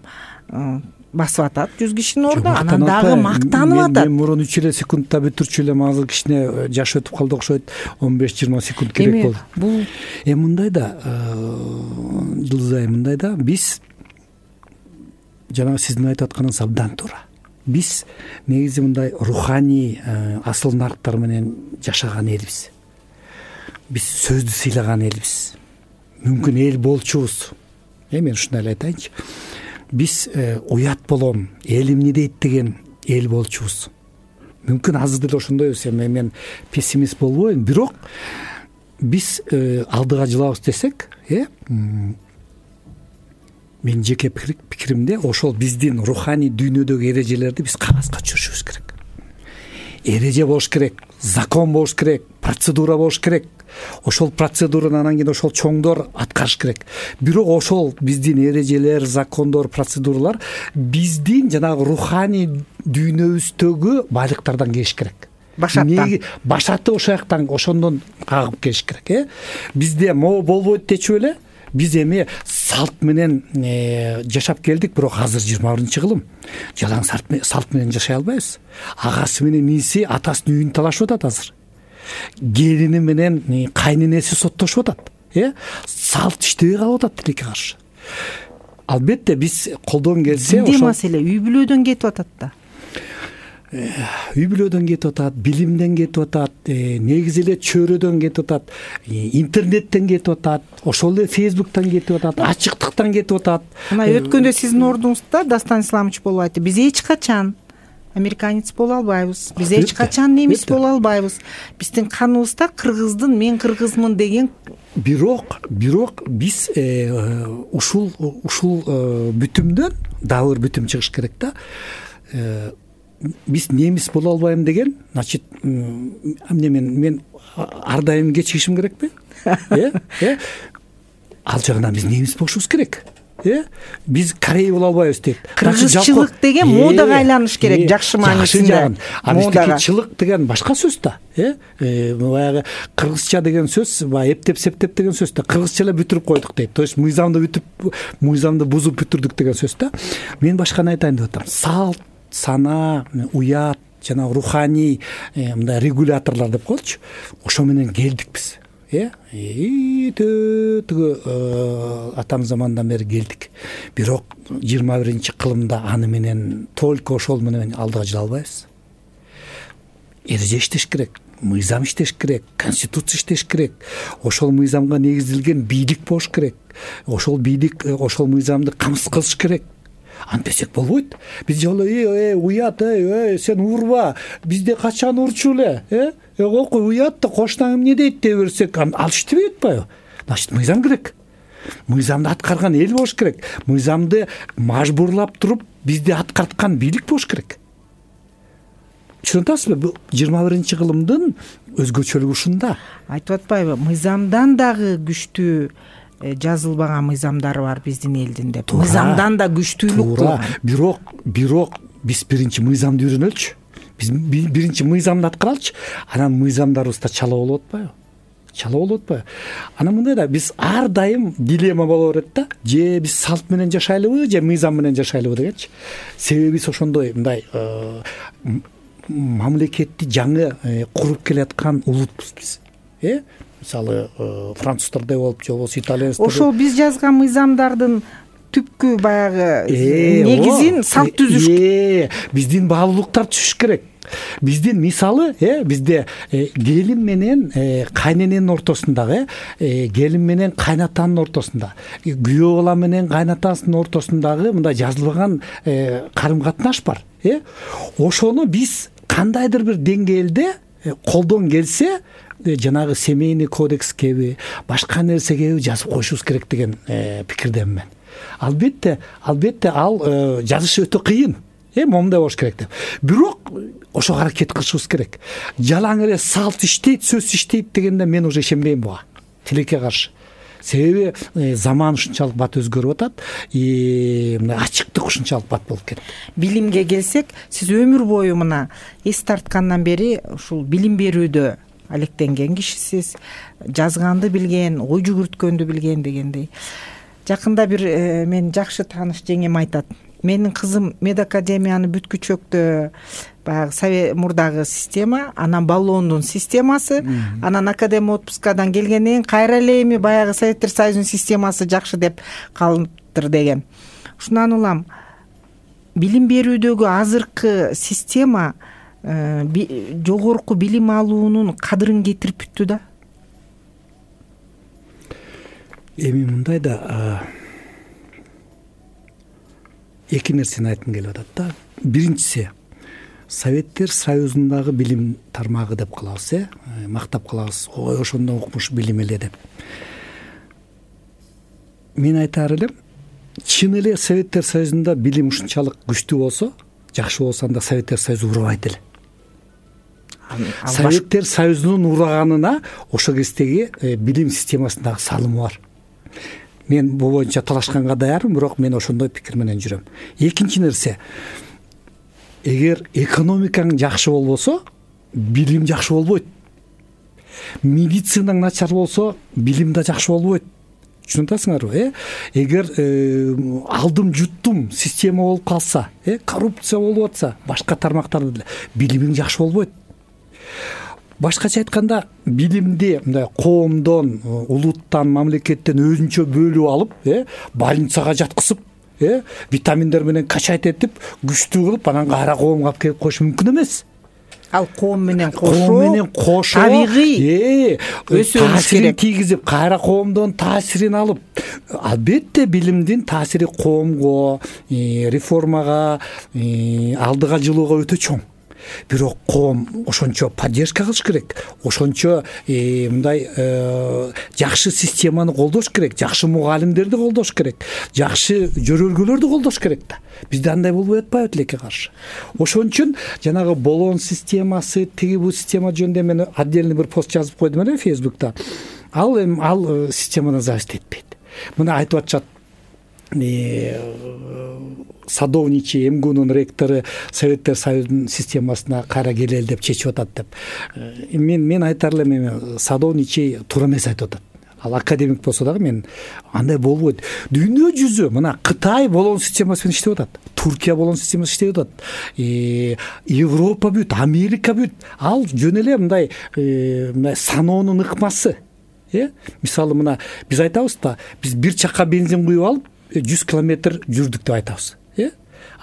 басып атат жүз кишинин ордуна, анан дагы мактанып атат. Мен мурун үч эле секундта бүтүрчү элем, азыр кичине жаш өтүп калды окшойт, он беш жыйырма секунд керек болду. Бул эми мындай да, Жылдызай, мындай да, биз жанагы сиздин айтып атканыңыз абдан туура. Биз негизи мындай руханий асыл нарктар менен жашаган элбиз. Биз сөздү сыйлаган элбиз. Мүмкүн эл болчубуз. Э мен ушундай эле айтайынчы. Биз уят болом, эл эмне дейт деген эл болчубуз. Мүмкүн азыр деле ошондойбуз. Эми мен пессимист болбойм, бирок биз алдыга жылабыз десек, э мен жеке пикиримде ошол биздин руханий дүйнөдөгү эрежелерди биз кагазга түшүрүшүбүз керек. Эреже болуш керек, закон болуш керек, процедура болуш керек. Ошол процедураны анан кийин ошол чоңдор аткарыш керек. Бирок ошол биздин эрежелер, закондор, процедуралар биздин жанагы руханий дүйнөбүздөгү байлыктардан келиш керек. Башаттан. Башаты ошол жактан, ошондон кагып келиш керек, э. Бизде могу болбойт дечү эле. Биз эми салт менен жашап келдик, бирок азыр жыйырма биринчи кылым. Жалаң салт менен жашай албайбыз. Агасы менен иниси атасынын үйүн талашып атат азыр. Келини менен кайненеси соттошуп атат. Э? Салт иштебей калып атат тилекке каршы. Албетте биз колдон келсе ошол маселе үй бүлөдөн кетип атат да. Үй бүлөдөн кетип атат, билимден кетип атат, негизи эле чөйрөдөн кетип атат, интернеттен кетип атат, ошол эле Фейсбуктан кетип атат, ачыктыктан кетип атат. Мына өткөндө сиздин ордуңузда Дастан Исламович болуп айтты: биз эч качан американец боло албайбыз, биз эч качан немис боло албайбыз. Биздин каныбызда кыргыздын мен кыргызмын деген. Бирок, бирок биз ушул ушул бүтүмдөн дагы бир бүтүм чыгыш керек да. Биз немис боло албайм деген, значит, эмне мен мен ар дайым кечигишим керекпи? Э? Э? Ал жагынан биз немис болушубуз керек. Э? Биз корей боло албайбыз дейт. Кыргызчылык деген модага айланыш керек, жакшы маанисинде. Модага деген башка сөз да. Э? Баягы кыргызча деген сөз, баягы эптеп септеп деген сөз да. Кыргызча эле бүтүрүп койдук дейт. То есть мыйзамды бүтүп, мыйзамды бузуп бүтүрдүк деген сөз да. Мен башканы айтайын деп атам. Салт, сана, уят, жана руханий мындай регуляторлор деп коелучу. Ошо менен келдик биз. Э? Төгө атам замандан бери келдик. Бирок жыйырма биринчи кылымда аны менен только ошол менен алдыга жыла албайбыз. Эреже иштеш керек, мыйзам иштеш керек, конституция иштеш керек. Ошол мыйзамга негизделген бийлик болуш керек. Ошол бийлик, ошол мыйзамды камсыз кылыш керек. Антесек болбойт. Биз жолу э уят, э сен урба, бизде качан урчу эле, э? Окуй уят да кошунаң эмне дейт деп берсек, ал иштебей атпайбы? Значит, мыйзам керек. Мыйзамды аткарган эл болуш керек. Мыйзамды мажбурлап туруп бизди аткарткан бийлик болуш керек. Түшүнүп атасызбы? жыйырма биринчи кылымдын өзгөчөлүгү ушунда. Айтып атпайбы? Мыйзамдан дагы күчтүү жазылбаган мыйзамдары бар биздин элдин деп. Мыйзамдан да күчтүүлүк кылган. Бирок, бирок биз биринчи мыйзамды үйрөнөлүчү. Биз биринчи мыйзамды аткаралычы, анан мыйзамдарыбызда чала болуп атпайбы? Чала болуп атпайбы? Анан мындай да, биз ар дайым дилемма боло берет да. Же биз салт менен жашайлыбы, же мыйзам менен жашайлыбы дегенчи. Себеби биз ошондой мындай мамлекетти жаңы куруп келаткан улутпуз биз. Э? Мисалы, француздардай болуп, же болбосо итальянецдер. Ошол биз жазган мыйзамдардын түпкү баягы негизин салт түзүш. Биздин баалуулуктар түшүш керек. Биздин мисалы э бизде келин менен кайнененин ортосундагы э келин менен кайнатанын ортосунда, күйөө бала менен кайнатасынын ортосундагы мындай жазылбаган карым катнаш бар э ошону биз кандайдыр бир деңгээлде колдон келсе жанагы семейный кодекскеби башка нерсеге жазып коюшубуз керек деген пикирдемин мен. Албетте, албетте ал жазыш өтө кыйын. Э момундай болуш керек деп. Бирок ошого аракет кылышыбыз керек. Жалаң эле салт иштейт, сөз иштейт дегенде мен уже ишенбейм буга. Тилекке каршы. Себеби заман ушунчалык бат өзгөрүп атат, и мына ачыктык ушунчалык бат болуп кетти. Билимге келсек, сиз өмүр бою мына эс тарткандан бери ушул билим берүүдө алектенген кишисиз, жазганды билген, ой жүгүрткөндү билген дегендей. Жакында бир мен жакшы тааныш жеңем айтат. Менин кызым медакадемияны бүткүчөктө баягы совет мурдагы система, анан баллондун системасы, анан академ отпускадан келгенден кийин кайра эле эми баягы Советтер Союзунун системасы жакшы деп калыптыр деген. Ушундан улам билим берүүдөгү азыркы система жогорку билим алуунун кадырын кетирип бүттү да. Эми мындай да эки нерсени айткым келип атат да. Биринчиси, Советтер Союзундагы билим тармагы деп калабыз, э мактап калабыз. Ой, ошондон укмуш билим эле деп. Мен айтаар элем, чын эле Советтер Союзунда билим ушунчалык күчтүү болсо, жакшы болсо, анда Советтер Союзу урабайт эле. Советтер Союзунун ураганына ошо кездеги билим системасындагы салымы бар. Мен бул боюнча талашканга даярмын, бирок мен ошондой пикир менен жүрөм. Экинчи нерсе, эгер экономикаң жакшы болбосо, билим жакшы болбойт. Медицинаң начар болсо, билим да жакшы болбойт. Түшүнүп атасыңарбы, э? Эгер алдым жуттум система болуп калса, э, коррупция болуп атса, башка тармактарда деле билимиң жакшы болбойт. Башкача айтканда, билимди мындай коомдон, улуттан, мамлекеттен өзүнчө бөлүп алып, э, больницага жаткызып, э, витаминдер менен качать этип, күчтүү кылып, анан кайра коомго алып келип коюш мүмкүн эмес. Ал коом менен кошо, коом менен кошо табигый өсүш керек. Тийгизип, кайра коомдон таасирин алып, албетте билимдин таасири коомго, реформага, алдыга жылууга өтө чоң. Бирок коом ошончо поддержка кылыш керек, ошончо мындай жакшы системаны колдош керек, жакшы мугалимдерди колдош керек, жакшы жөрөлгөлөрдү колдош керек да. Бизде андай болбой атпайбы тилекке каршы. Ошон үчүн жанагы болон системасы, тиги бул система жөнүндө мен отдельный бир пост жазып койдум эле Facebook'та. Ал эми ал системаны зависть этпейт. Мына айтып атышат, Садовничий МГУнун ректору Советтер Союзунун системасына кайра келели деп чечип атат деп. Мен мен айтар элем, эми Садовничий туура эмес айтып атат. Ал академик болсо дагы мен андай болбойт. Дүйнө жүзү мына Кытай болон системасы менен иштеп атат. Туркия болон системасы иштеп атат. Европа бүт, Америка бүт. Ал жөн эле мындай мындай саноонун ыкмасы. Э? Мисалы мына биз айтабыз да, биз бир чакка бензин куюп алып жүз километр жүрдүк деп айтабыз. Э?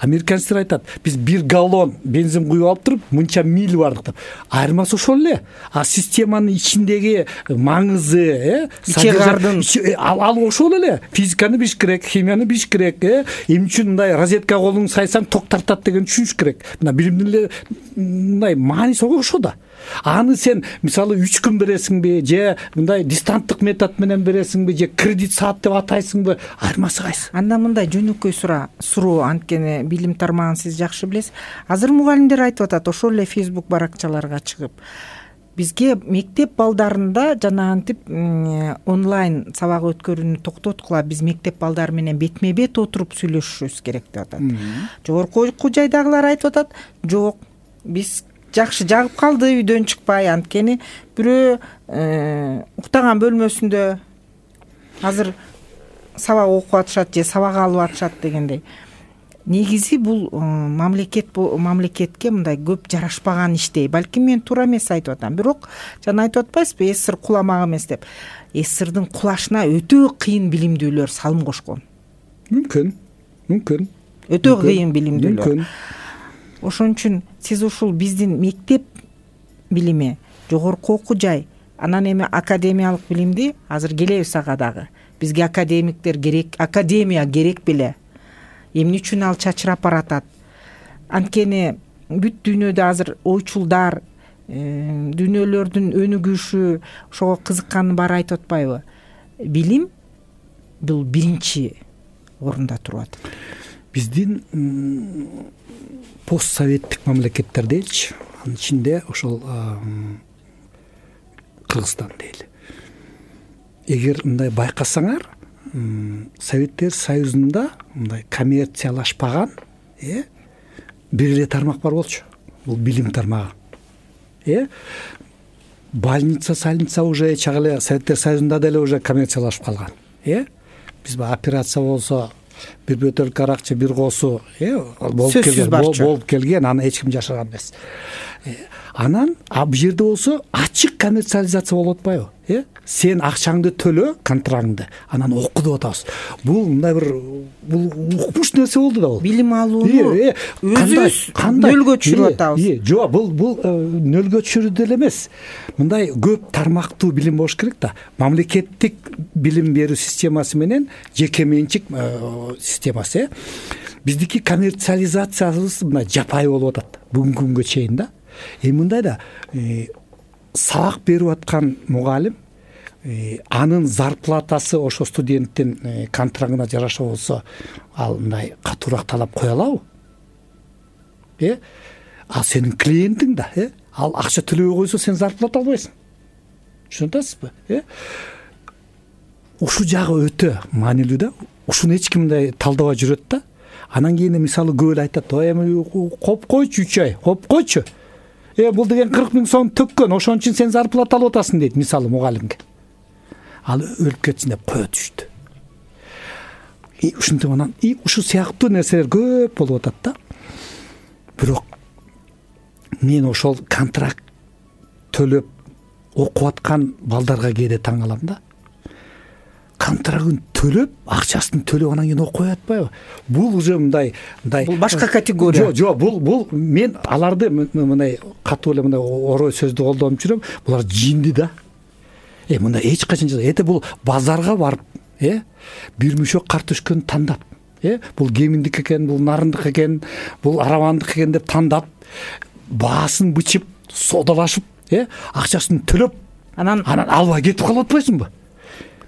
Американецтер айтат, биз бир галлон бензин куюп алып туруп, мынча миль бардык деп. Айырмасы ошол эле. А системанын ичиндеги маңызы, э, содержание ал ал ошол эле. Физиканы билиш керек, химияны билиш керек, э, эмне үчүн мындай розетка колуң сайсаң ток тартат деген түшүнүш керек. Мына билимдин эле мындай мааниси ошо да. Аны сен мисалы үч күн бересиңби, же мындай дистанттык метод менен бересиңби, же кредит саат деп атайсыңбы, айырмасы кайсы? Анда мындай жөнөкөй сура, суроо, анткени билим тармагын сиз жакшы билесиз. Азыр мугалимдер айтып атат, ошол эле Facebook баракчаларга чыгып, бизге мектеп балдарында жана антип онлайн сабак өткөрүүнү токтоткула, биз мектеп балдары менен бетме бет отуруп сүйлөшүшүбүз керек деп атат. Жогорку жайдагылар айтып атат, жок, биз жакшы жагып калды, үйдөн чыкпай, анткени бирөө уктаган бөлмөсүндө азыр сабак окуп атышат же сабак алып атышат дегендей. Негизи бул мамлекет мамлекетке мындай көп жарашпаган иштей. Балким мен туура эмес айтып атам, бирок жана айтып атпайсызбы, эсир куламак эмес деп. Эсирдин кулашына өтө кыйын билимдүүлөр салым кошкон. мүмкүн мүмкүн өтө кыйын билимдүүлөр. мүмкүн. Ошон үчүн сиз ушул биздин мектеп билими, жогорку окуу жай, анан эми академиялык билимди азыр келебиз ага дагы. Бизге академиктер керек, академия керек беле. Эмне үчүн ал чачырап баратат? Анткени бүт дүйнөдө азыр ойчулдар, дүйнөлөрдүн өнүгүшү, ошого кызыккандын баары айтып атпайбы? Билим бул биринчи орунда туруп атат. Биздин постсоветтик мамлекеттер дейчи, анын ичинде ошол Кыргызстан дейли. Эгер мындай байкасаңар, Советтер Союзунда мындай коммерциялашпаган э бир эле тармак бар болчу. Бул билим тармагы. Э больница, сальница уже чак эле Советтер Союзунда деле уже коммерциялашып калган. Э биз операция болсо бир бөтөлкө аракчы, бир косу э болуп келген, болуп келген, аны эч ким жашырган эмес. Анан а бул жерде болсо ачык коммерциализация болуп атпайбы? Э сен акчаңды төлө, контрагыңды, анан оку деп атабыз. Бул мындай бир бул укмуш нерсе болду да бул. Билим алууну өзүбүз нөлгө түшүрүп атабыз. Э жок, бул бул нөлгө түшүрүү деле эмес. Мындай көп тармактуу билим болуш керек да. Мамлекеттик билим берүү системасы менен жеке менчик системасы. Биздики коммерциализациябыз мындай жапайы болуп атат бүгүнкү күнгө чейин да. Эми мындай да сабак берип аткан мугалим анын зарплатасы ошо студенттин контрагына жараша болсо, ал мындай катуураак талап кое алабы? Э ал сенин клиентиң да, э ал акча төлөбөй койсо сен зарплата албайсың. Түшүнүп атасызбы? Э ушул жагы өтө маанилүү да. Ушуну эч ким мындай талдабай жүрөт да. Анан кийин мисалы көп эле айтат, "Ой, эми коп койчу үч ай, коп койчу. Э бул деген кырк миң сом төккөн, ошон үчүн сен зарплата алып атасың" дейт мисалы мугалимге. Ал өлүп кетсин деп кое түштү. И ушинтип анан и ушул сыяктуу нерселер көп болуп атат да. Бирок мен ошол контракт төлөп окуп аткан балдарга кээде таң калам да. Контрагын төлөп, акчасын төлөп анан кийин окуй атпайбы? Бул уже мындай, мындай бул башка категория. Жок, жок, бул бул мен аларды мындай катуу эле мындай орой сөздү колдонуп жүрөм. Булар жинди да. Э мындай эч качан эте бул базарга барып, э бир мөшөк картошканы тандап, э бул кеминдик экен, бул нарындык экен, бул аравандык экен деп тандап, баасын бычып, содалашып, э акчасын төлөп, анан анан албай кетип калып атпайсыңбы?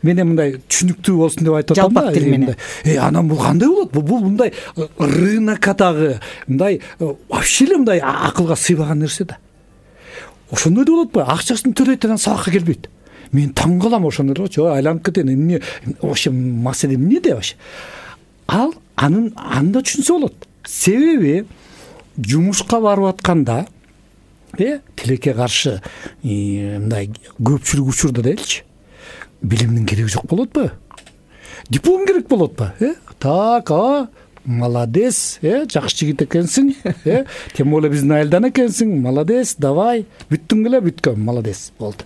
Мен мындай түшүнүктүү болсун деп айтып атам да. Жалпак тил менен. Э анан бул кандай болот? Бул мындай рынокдагы мындай вообще эле мындай акылга сыйбаган нерсе да. Ошондой болот атпайбы? Акчасын төлөйт, анан сабакка келбейт. Мен таң калам ошондорчу, айланып кетем. Эмне вообще маселе эмнеде вообще? Ал анын анда түшүнсө болот. Себеби жумушка барып атканда э тилекке каршы мындай көпчүлүк учурда делчи, билимдин кереги жок болот атпайбы? Диплом керек болот атпайбы? Э так, а молодец, э жакшы жигит экенсиң, э тем более биздин айылдан экенсиң, молодец, давай, бүттүң беле, бүткөм, молодец, болду.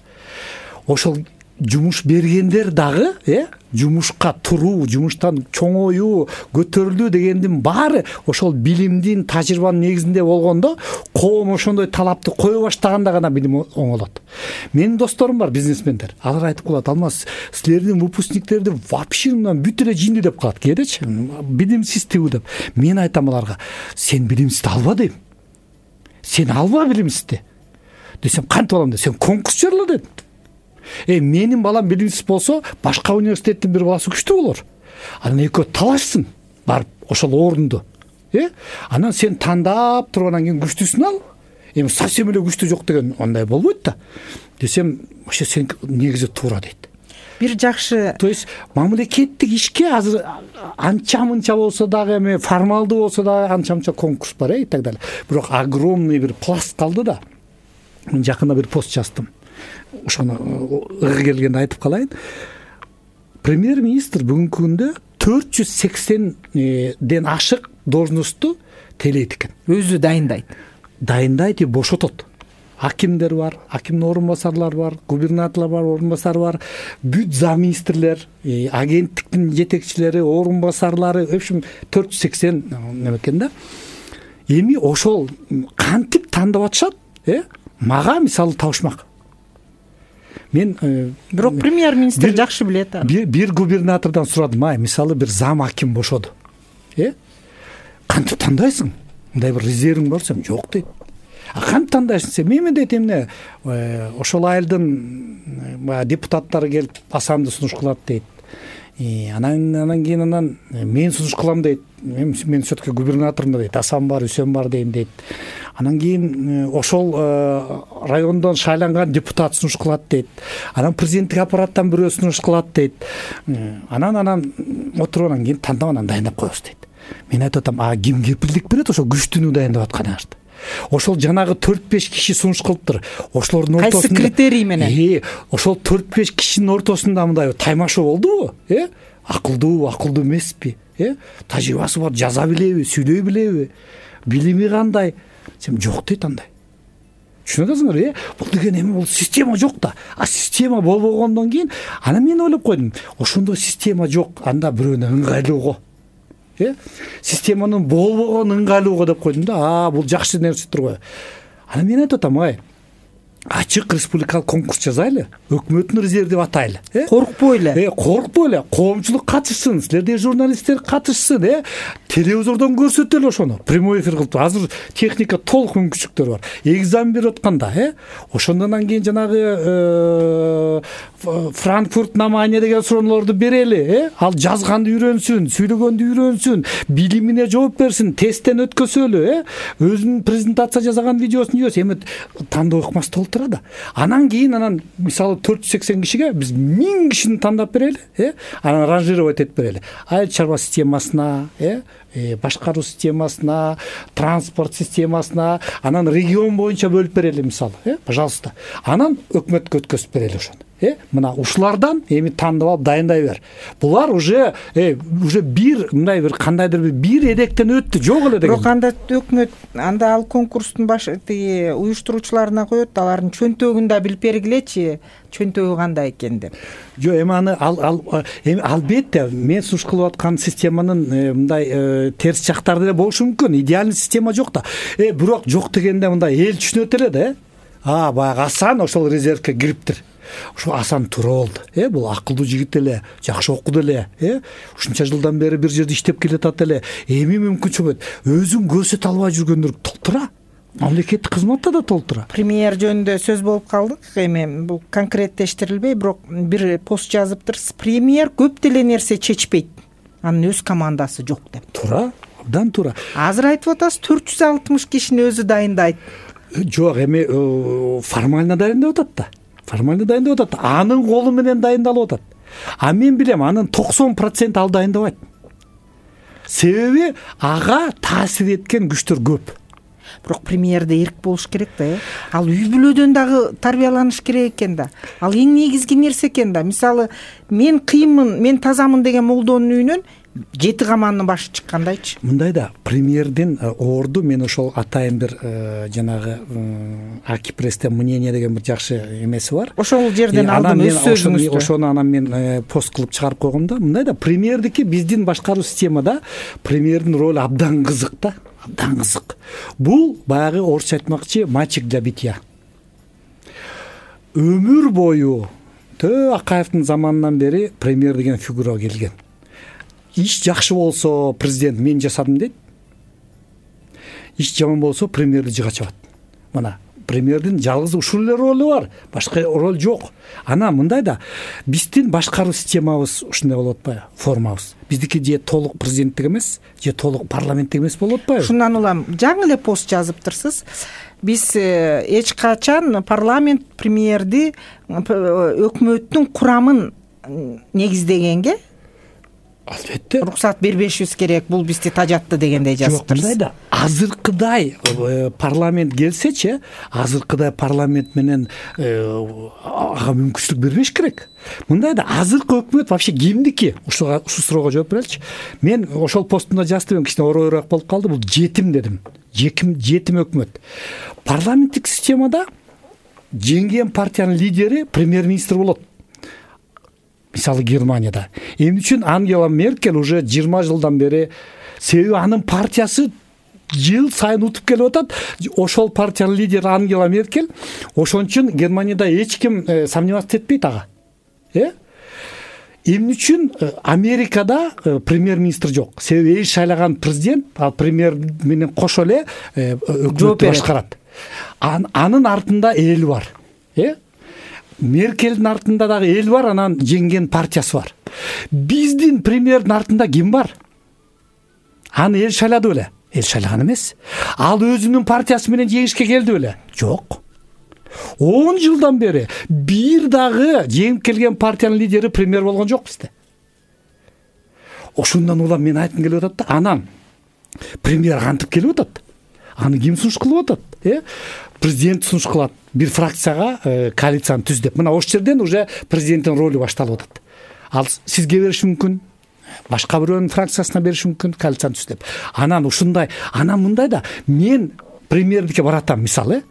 Ошол жумуш бергендер дагы, э жумушка туруу, жумуштан чоңоюу, көтөрүлүү дегендин баары ошол билимдин, тажрыйбанын негизинде болгондо, коом ошондой талапты кое баштаганда гана билим оңолот. Менин досторум бар, бизнесмендер. Алар айтып калат, "Алмаз, силердин выпускниктерди вообще мындан бүт эле жинди" деп калат кээдечи. Билимсиз тигүү деп. Мен айтам аларга, "Сен билимсизди алба" дейм. "Сен алба билимсизди." Десем, "Кантип алам" десем, "Конкурс жарала" дедим. Э менин балам билимсиз болсо, башка университеттин бир баласы күчтүү болор. Анан экөө талашсын барып ошол орунду. Э анан сен тандап туруп анан кийин күчтүүсүн ал. Эми совсем эле күчтүү жок деген андай болбойт да. Десем, вообще сен негизи туура дейт. Бир жакшы, то есть мамлекеттик ишке азыр анча-мынча болсо дагы, эми формалдуу болсо дагы анча-мынча конкурс бар, э и так далее. Бирок огромный бир пласт калды да. Мен жакында бир пост жаздым. Ошону ыгы келгенде айтып калайын. Премьер-министр бүгүнкү күндө төрт жүз сексенден ашык должностту тейлейт экен. Өзү дайындайт. Дайындайт и бошотот. акимдер бар, акимдин орун басарлары бар, губернаторлор бар, орун басары бар, бүт замминистрлер, агенттиктин жетекчилери, орун басарлары, в общем төрт жүз сексен неме экен да. Эми ошол кантип тандап атышат, э? Мага мисалы табышмак. Мен бирок премьер-министр жакшы билет аны. Бир, бир губернатордон сурадым, ай, мисалы бир зам аким бошоду. Э? Кантип тандайсың? Мындай бир резервиң барса, жок дейт. А кантип тандайсың сен? Мен дейт эмне, ошол айылдын депутаттары келип Асанды сунуш кылат дейт. Анан анан кийин анан мен сунуш кылам дейт. Мен мен все-таки губернатормун дейт. Асан бар, Үсен бар дейм дейт. Анан кийин ошол райондон шайланган депутат сунуш кылат дейт. Анан президенттик аппараттан бирөө сунуш кылат дейт. Анан анан отуруп анан кийин тандап анан дайындап коебуз дейт. Мен айтып атам, а ким кепилдик берет ошо күчтүүнү дайындап атканыңызды? Ошол жанагы төрт беш киши сунуш кылыптыр. Ошолордун ортосунда кайсы критерий менен? Э, ошол төрт беш кишинин ортосунда мындай таймашуу болдубу? Э? Акылдуу, акылдуу эмеспи? Э? Тажрыйбасы бар, жаза билеби, сүйлөй билеби? Билими кандай? Сен жок дейт андай. Түшүнүп атасыңар, э? Бул деген эми бул система жок да. А система болбогондон кийин анан мен ойлоп койдум, ошондой система жок, анда бирөөнө ыңгайлууго. Э? Системанын болбогон ыңгайлууго деп койдум да. А, бул жакшы нерседир го. Анан мен айтып атам, ай, ачык республикалык конкурс жазайлы, өкмөттүн резерви деп атайлы. Э? Коркпой эле. Э, коркпой эле, коомчулук катышсын, силердей журналисттер катышсын, э? Телевизордон көрсөтөлү ошону. Прямой эфир кылып. Азыр техника толук мүмкүнчүлүктөр бар. Экзамен берип атканда, э? Ошондон кийин жанагы Франкфурт намание деген суроолорду берели, э? Ал жазганды үйрөнсүн, сүйлөгөндү үйрөнсүн, билимине жооп берсин, тесттен өткөсөлү, э? Өзүнүн презентация жасаган видеосун жиберсин, эми тандоо ыкмасы толтура да. Анан кийин анан мисалы төрт жүз сексен кишиге биз миң кишини тандап берели, э? Анан ранжировать этип берели. Айыл чарба системасына, э? Башкаруу системасына, транспорт системасына, анан регион боюнча бөлүп берели мисалы, э? Пожалуйста. Анан өкмөткө өткөзүп берели ошону. Э, мына ушулардан эми тандап алып дайындай бер. Булар уже э, уже бир мындай бир кандайдыр бир бир эдектен өттү, жок эле деген. Бирок анда өкмөт анда ал конкурстун баш тиги уюштуруучуларына коет, алардын чөнтөгүн да билип бергилечи, чөнтөгү кандай экен деп. Жок, эми аны ал ал эми албетте мен сунуш кылып аткан системанын мындай терс жактары деле болушу мүмкүн. Идеальный система жок да. Э, бирок жок дегенде мындай эл түшүнөт эле да, э? А, баягы Асан ошол резервке кириптир. Ошо Асан туура болду. Э, бул акылдуу жигит эле, жакшы окуду эле, э? Ушунча жылдан бери бир жерде иштеп келатат эле. Эми мүмкүнчүлүк болот. Өзүн көрсөтө албай жүргөндөр толтура. Мамлекеттик кызматта да толтура. Премьер жөнүндө сөз болуп калдык. Эми бул конкреттештирилбей, бирок бир пост жазыптыр. Премьер көп деле нерсе чечпейт. Анын өз командасы жок деп. Туура, абдан туура. Азыр айтып атасыз, төрт жүз алтымыш кишини өзү дайындайт. Жок, эми формально дайындап атат да. Формально дайындап атат. Анын колу менен дайындалып атат. А мен билем, анын токсон процент ал дайындабайт. Себеби ага таасир эткен күчтөр көп. Бирок премьерде эрк болуш керек да, э? Ал үй бүлөдөн дагы тарбияланыш керек экен да. Ал эң негизги нерсе экен да. Мисалы, мен кыйынмын, мен тазамын деген молдонун үйүнөн жети каманын башы чыккандайчы. Мындай да, премьердин орду мен ошол атайын бир жанагы Акипресстен мнение деген бир жакшы эмеси бар. Ошол жерден алдым өз сөзүңүздү. Ошону анан мен пост кылып чыгарып койгом да. Мындай да, премьердики биздин башкаруу системада премьердин ролу абдан кызык да. Абдан кызык. Бул баягы орусча айтмакчы мальчик для битья. Өмүр бою Тө Акаевдин заманынан бери премьер деген фигура келген. Иш жакшы болсо президент мен жасадым дейт. Иш жаман болсо премьерди жыга чабат. Мына премьердин жалгыз ушул эле ролу бар, башка роль жок. Ана мындай да, биздин башкаруу системабыз ушундай болуп атпайбы, формабыз. Биздики же толук президенттик эмес, же толук парламенттик эмес болуп атпайбы? Шундан улам жаңы эле пост жазыптырсыз. Биз эч качан парламент премьерди өкмөттүн курамын негиздегенге албетте уруксат бербешибиз керек, бул бизди тажатты дегендей жазыптырсыз. Жок, мындай да, азыркыдай парламент келсечи, азыркыдай парламент менен ага мүмкүнчүлүк бербеш керек. Мындай да, азыркы өкмөт вообще кимдики? Ушуга ушул суроого жооп береличи. Мен ошол постумда жаздым, кичине оройраак болуп калды, бул жетим дедим. Жетим жетим өкмөт. Парламенттик системада жеңген партиянын лидери премьер-министр болот. Мисалы Германияда. Эмне үчүн Ангела Меркель уже жыйырма жылдан бери, себеби анын партиясы жыл сайын утуп келип атат. Ошол партиянын лидери Ангела Меркель, ошон үчүн Германияда эч ким сомневаться этпейт ага. Э? Эмне үчүн Америкада премьер-министр жок? Себеби эл шайлаган президент, ал премьер менен кошо эле өкмөттү башкарат. Анын артында эл бар. Э? Меркелдин артында дагы эл бар, анан жеңген партиясы бар. Биздин премьердин артында ким бар? Аны эл шайлады беле? Эл шайлаган эмес. Ал өзүнүн партиясы менен жеңишке келди беле? Жок. он жылдан бери бир дагы жеңип келген партиянын лидери премьер болгон жок бизде. Ошондон улам мен айткым келип атат да, анан премьер кантип келип атат? Аны ким сунуш кылып атат? Э? Президент сунуш кылат. Бир фракцияга коалицияны түз деп. Мына ошол жерден уже президенттин ролу башталып атат. Ал сизге бериши мүмкүн, башка бирөөнүн фракциясына бериши мүмкүн, коалицияны түз деп. Анан ушундай, анан мындай да, мен премьердикке баратам, мисалы,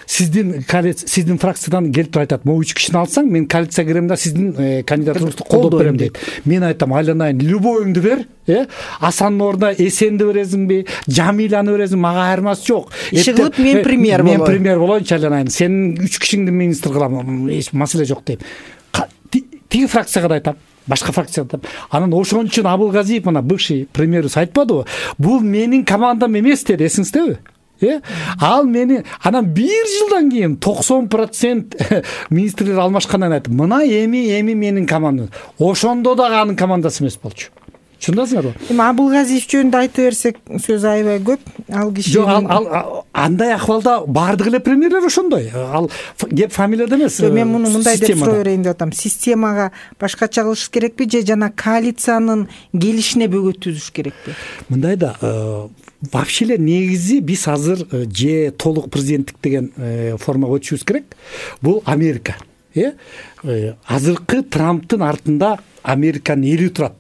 сиздин сиздин фракциядан келип туруп айтат, могу үч кишини алсаң, мен коалицияга кирем да сиздин кандидатураңызды колдоп берем дейт. Мен айтам, айланайын, любойуңду бер, э? Асандын ордуна Эсенди бересиңби, Жамиланы бересиңби, мага айырмасы жок. Иши кылып мен премьер болоюн. Мен премьер болоюнчу, айланайын. Сенин үч кишиңди министр кылам, эч маселе жок дейм. Тиги фракцияга да айтам, башка фракцияга да. Анан ошон үчүн Абылгазиев, мына бывший премьерибиз айтпадыбы? Бул менин командам эмес деди, эсиңиздеби? Э? Ал мени анан бир жылдан кийин токсон процент министрлер алмашкандан айтты. Мына эми эми менин командам. Ошондо дагы анын командасы эмес болчу. Түшүндүңүзбү? Эми Абылгазиев жөнүндө айта берсек сөз аябай көп. Ал киши Жок, ал, ал андай ахвалда бардык эле премьерлер ошондой. Ал кеп фамилияда эмес. Мен муну мындай деп суроо берейин деп атам. Системага башкача кылыш керекпи же жана коалициянын келишине бөгөт түзүш керекпи? Мындай да, вообще эле негизи биз азыр же толук президенттик деген формага өтүшүбүз керек. Бул Америка. Э? Азыркы Трамптын артында Американын эли турат.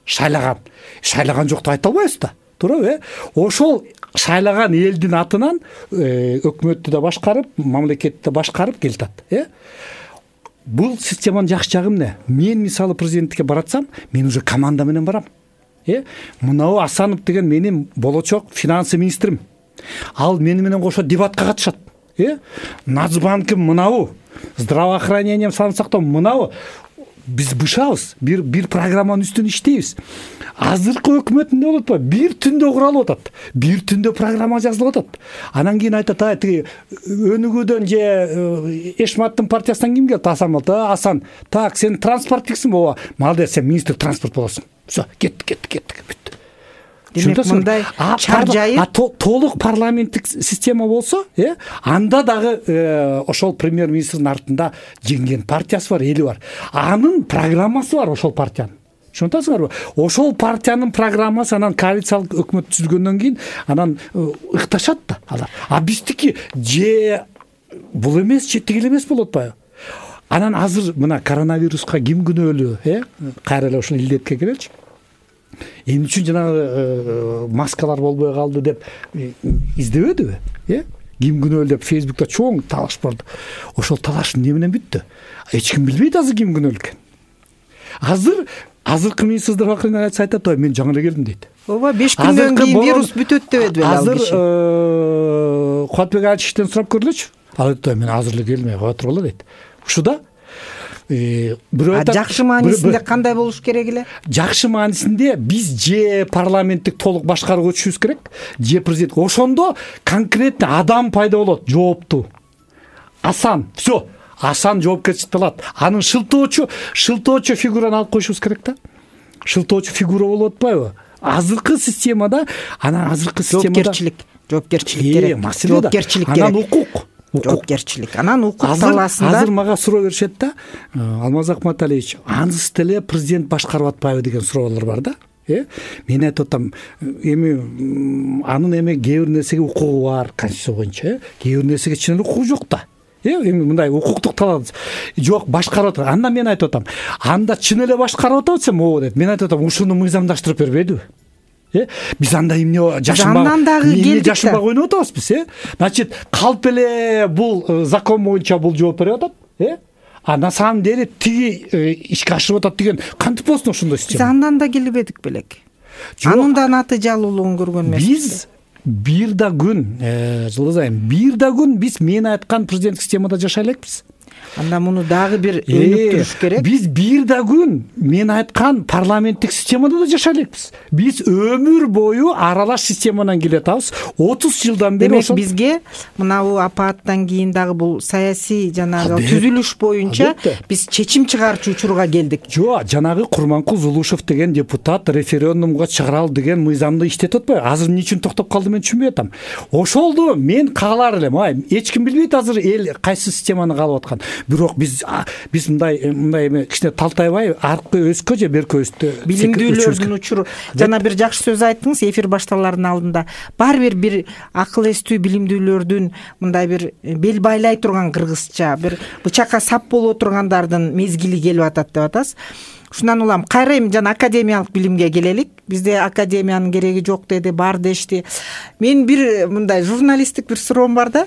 Шайлаган. Шайлаган жок деп айта албайбыз да. Туурабы, э? Ошол шайлаган элдин атынан өкмөттү да башкарып, мамлекетти да башкарып келатат, э? Бул системанын жакшы жагы эмне? Мен мисалы президенттикке баратсам, мен уже команда менен барам. Э? Мынау Асанов деген менин болочок финансы министрим. Ал мени менен кошо дебатка катышат. Э? Нацбанкым мынау, здравоохранением, саамдык сактоо мынау. Биз бышабыз, бир бир программанын үстүнө иштейбиз. Азыркы өкмөттүндө болот ба? Бир түндө куралып атат. Бир түндө программа жазылып атат. Анан кийин айтат, а тиги Өнүгүүдөн же Эшматтын партиясынан ким келди? Асан болду. Асан, так, сен транспорттиксиң ооба. Молодец, сен министр транспорт болосуң. Всё, кеттик, кеттик, кеттик, бүттү. Демек мындай чар жайып толук парламенттик система болсо, э, анда дагы ошол премьер-министрдин артында жеңген партиясы бар, эли бар. Анын программасы бар ошол партиянын. Түшүнүп атасыңарбы? Ошол партиянын программасы анан коалициялык өкмөт түзүлгөндөн кийин анан ыкташат да алар. А биздики же бул эмес, же тигил эмес болуп атпайбы? Анан азыр мына коронавируска ким күнөөлүү, э? Кайра эле ошол илдетке келеличи. Эмне үчүн жанагы маскалар болбой калды деп издебедиби? Э? Ким күнөөлүү деп Фейсбукта чоң талаш болду. Ошол талаш эмне менен бүттү? Эч ким билбейт азыр ким күнөөлүү экен. Азыр азыркы министр здравоохранения айтат, "Ой, мен жаңы эле келдим" дейт. Ооба, беш күндөн кийин вирус бүтөт дебеди беле ал киши. Азыр Кубатбек Алишевден сурап көрүлөчү. Ал айтты, "Мен азыр эле келдим, кая тургула" дейт. Ушуда бирөө айтат, жакшы маанисинде кандай болуш керек эле? Жакшы маанисинде биз же парламенттик толук башкарууга өтүшүбүз керек, же президент. Ошондо конкретный адам пайда болот, жооптуу. Асан, всё, Асан жоопкерчиликти алат. Анын шылтоочу, шылтоочу фигураны алып коюшубуз керек да. Шылтоочу фигура болуп атпайбы? Азыркы системада, анан азыркы системада жоопкерчилик, жоопкерчилик керек. Жоопкерчилик керек. Анан укук. Жоопкерчилик. Анан укук талаасында азыр мага суроо беришет да. Алмаз Акматалиевич, анысы деле президент башкарып атпайбы деген суроолор бар да. Э? Мен айтып атам, эми анын эми кээ бир нерсеге укугу бар, конституция боюнча, кээ бир нерсеге чын эле укугу жок да. Э, эми мындай укуктук талап жок, башкарып атат. Анда мен айтып атам, анда чын эле башкарып атат десем, ооба дейт. Мен айтып атам, ушуну мыйзамдаштырып бербейдиби? э биз анда эмне жашынбай андан дагы келдик да. жашынбай ойноп атабызбыз, э значит калп эле бул закон боюнча бул жооп берип атат, э а на самом деле тиги ишке ашырып атат деген кантип болсун ошондой система? Биз андан да келбедик белек. Анын да натыйжалуулугун көргөн эмеспиз. Биз бир да күн, Жылдыз айым, бир да күн биз мен айткан президенттик системада жашай элекпиз. Анда муну дагы бир өнүктүрүш керек. Биз бир да күн мен айткан парламенттик системада да жашай элекпиз. Биз өмүр бою аралаш системадан келатабыз. отуз жылдан бери ошол. Демек бизге мынабу апааттан кийин дагы бул саясий жанагы түзүлүш боюнча биз чечим чыгарчу учурга келдик. Жок, жанагы Курманкул Зулушев деген депутат референдумга чыгарал деген мыйзамды иштетип атпайбы? Азыр эмне үчүн токтоп калды мен түшүнбөй атам. Ошолду мен каалар элем. Ай, эч ким билбейт азыр эл кайсы системаны каалап аткан. Бирок биз биз мындай мындай эме кичине талтайбай аркы өскө же берки өстө билимдүүлөрдүн учуру. Жана бир жакшы сөз айттыңыз эфир башталарынын алдында. Бар бир бир акыл эстүү билимдүүлөрдүн мындай бир бел байлай турган кыргызча, бир бычакка сап боло тургандардын мезгили келип атат деп атасыз. Ушундан улам кайра эми жана академиялык билимге келелик. Бизде академиянын кереги жок деди, бар дешти. Мен бир мындай журналисттик бир суроом бар да.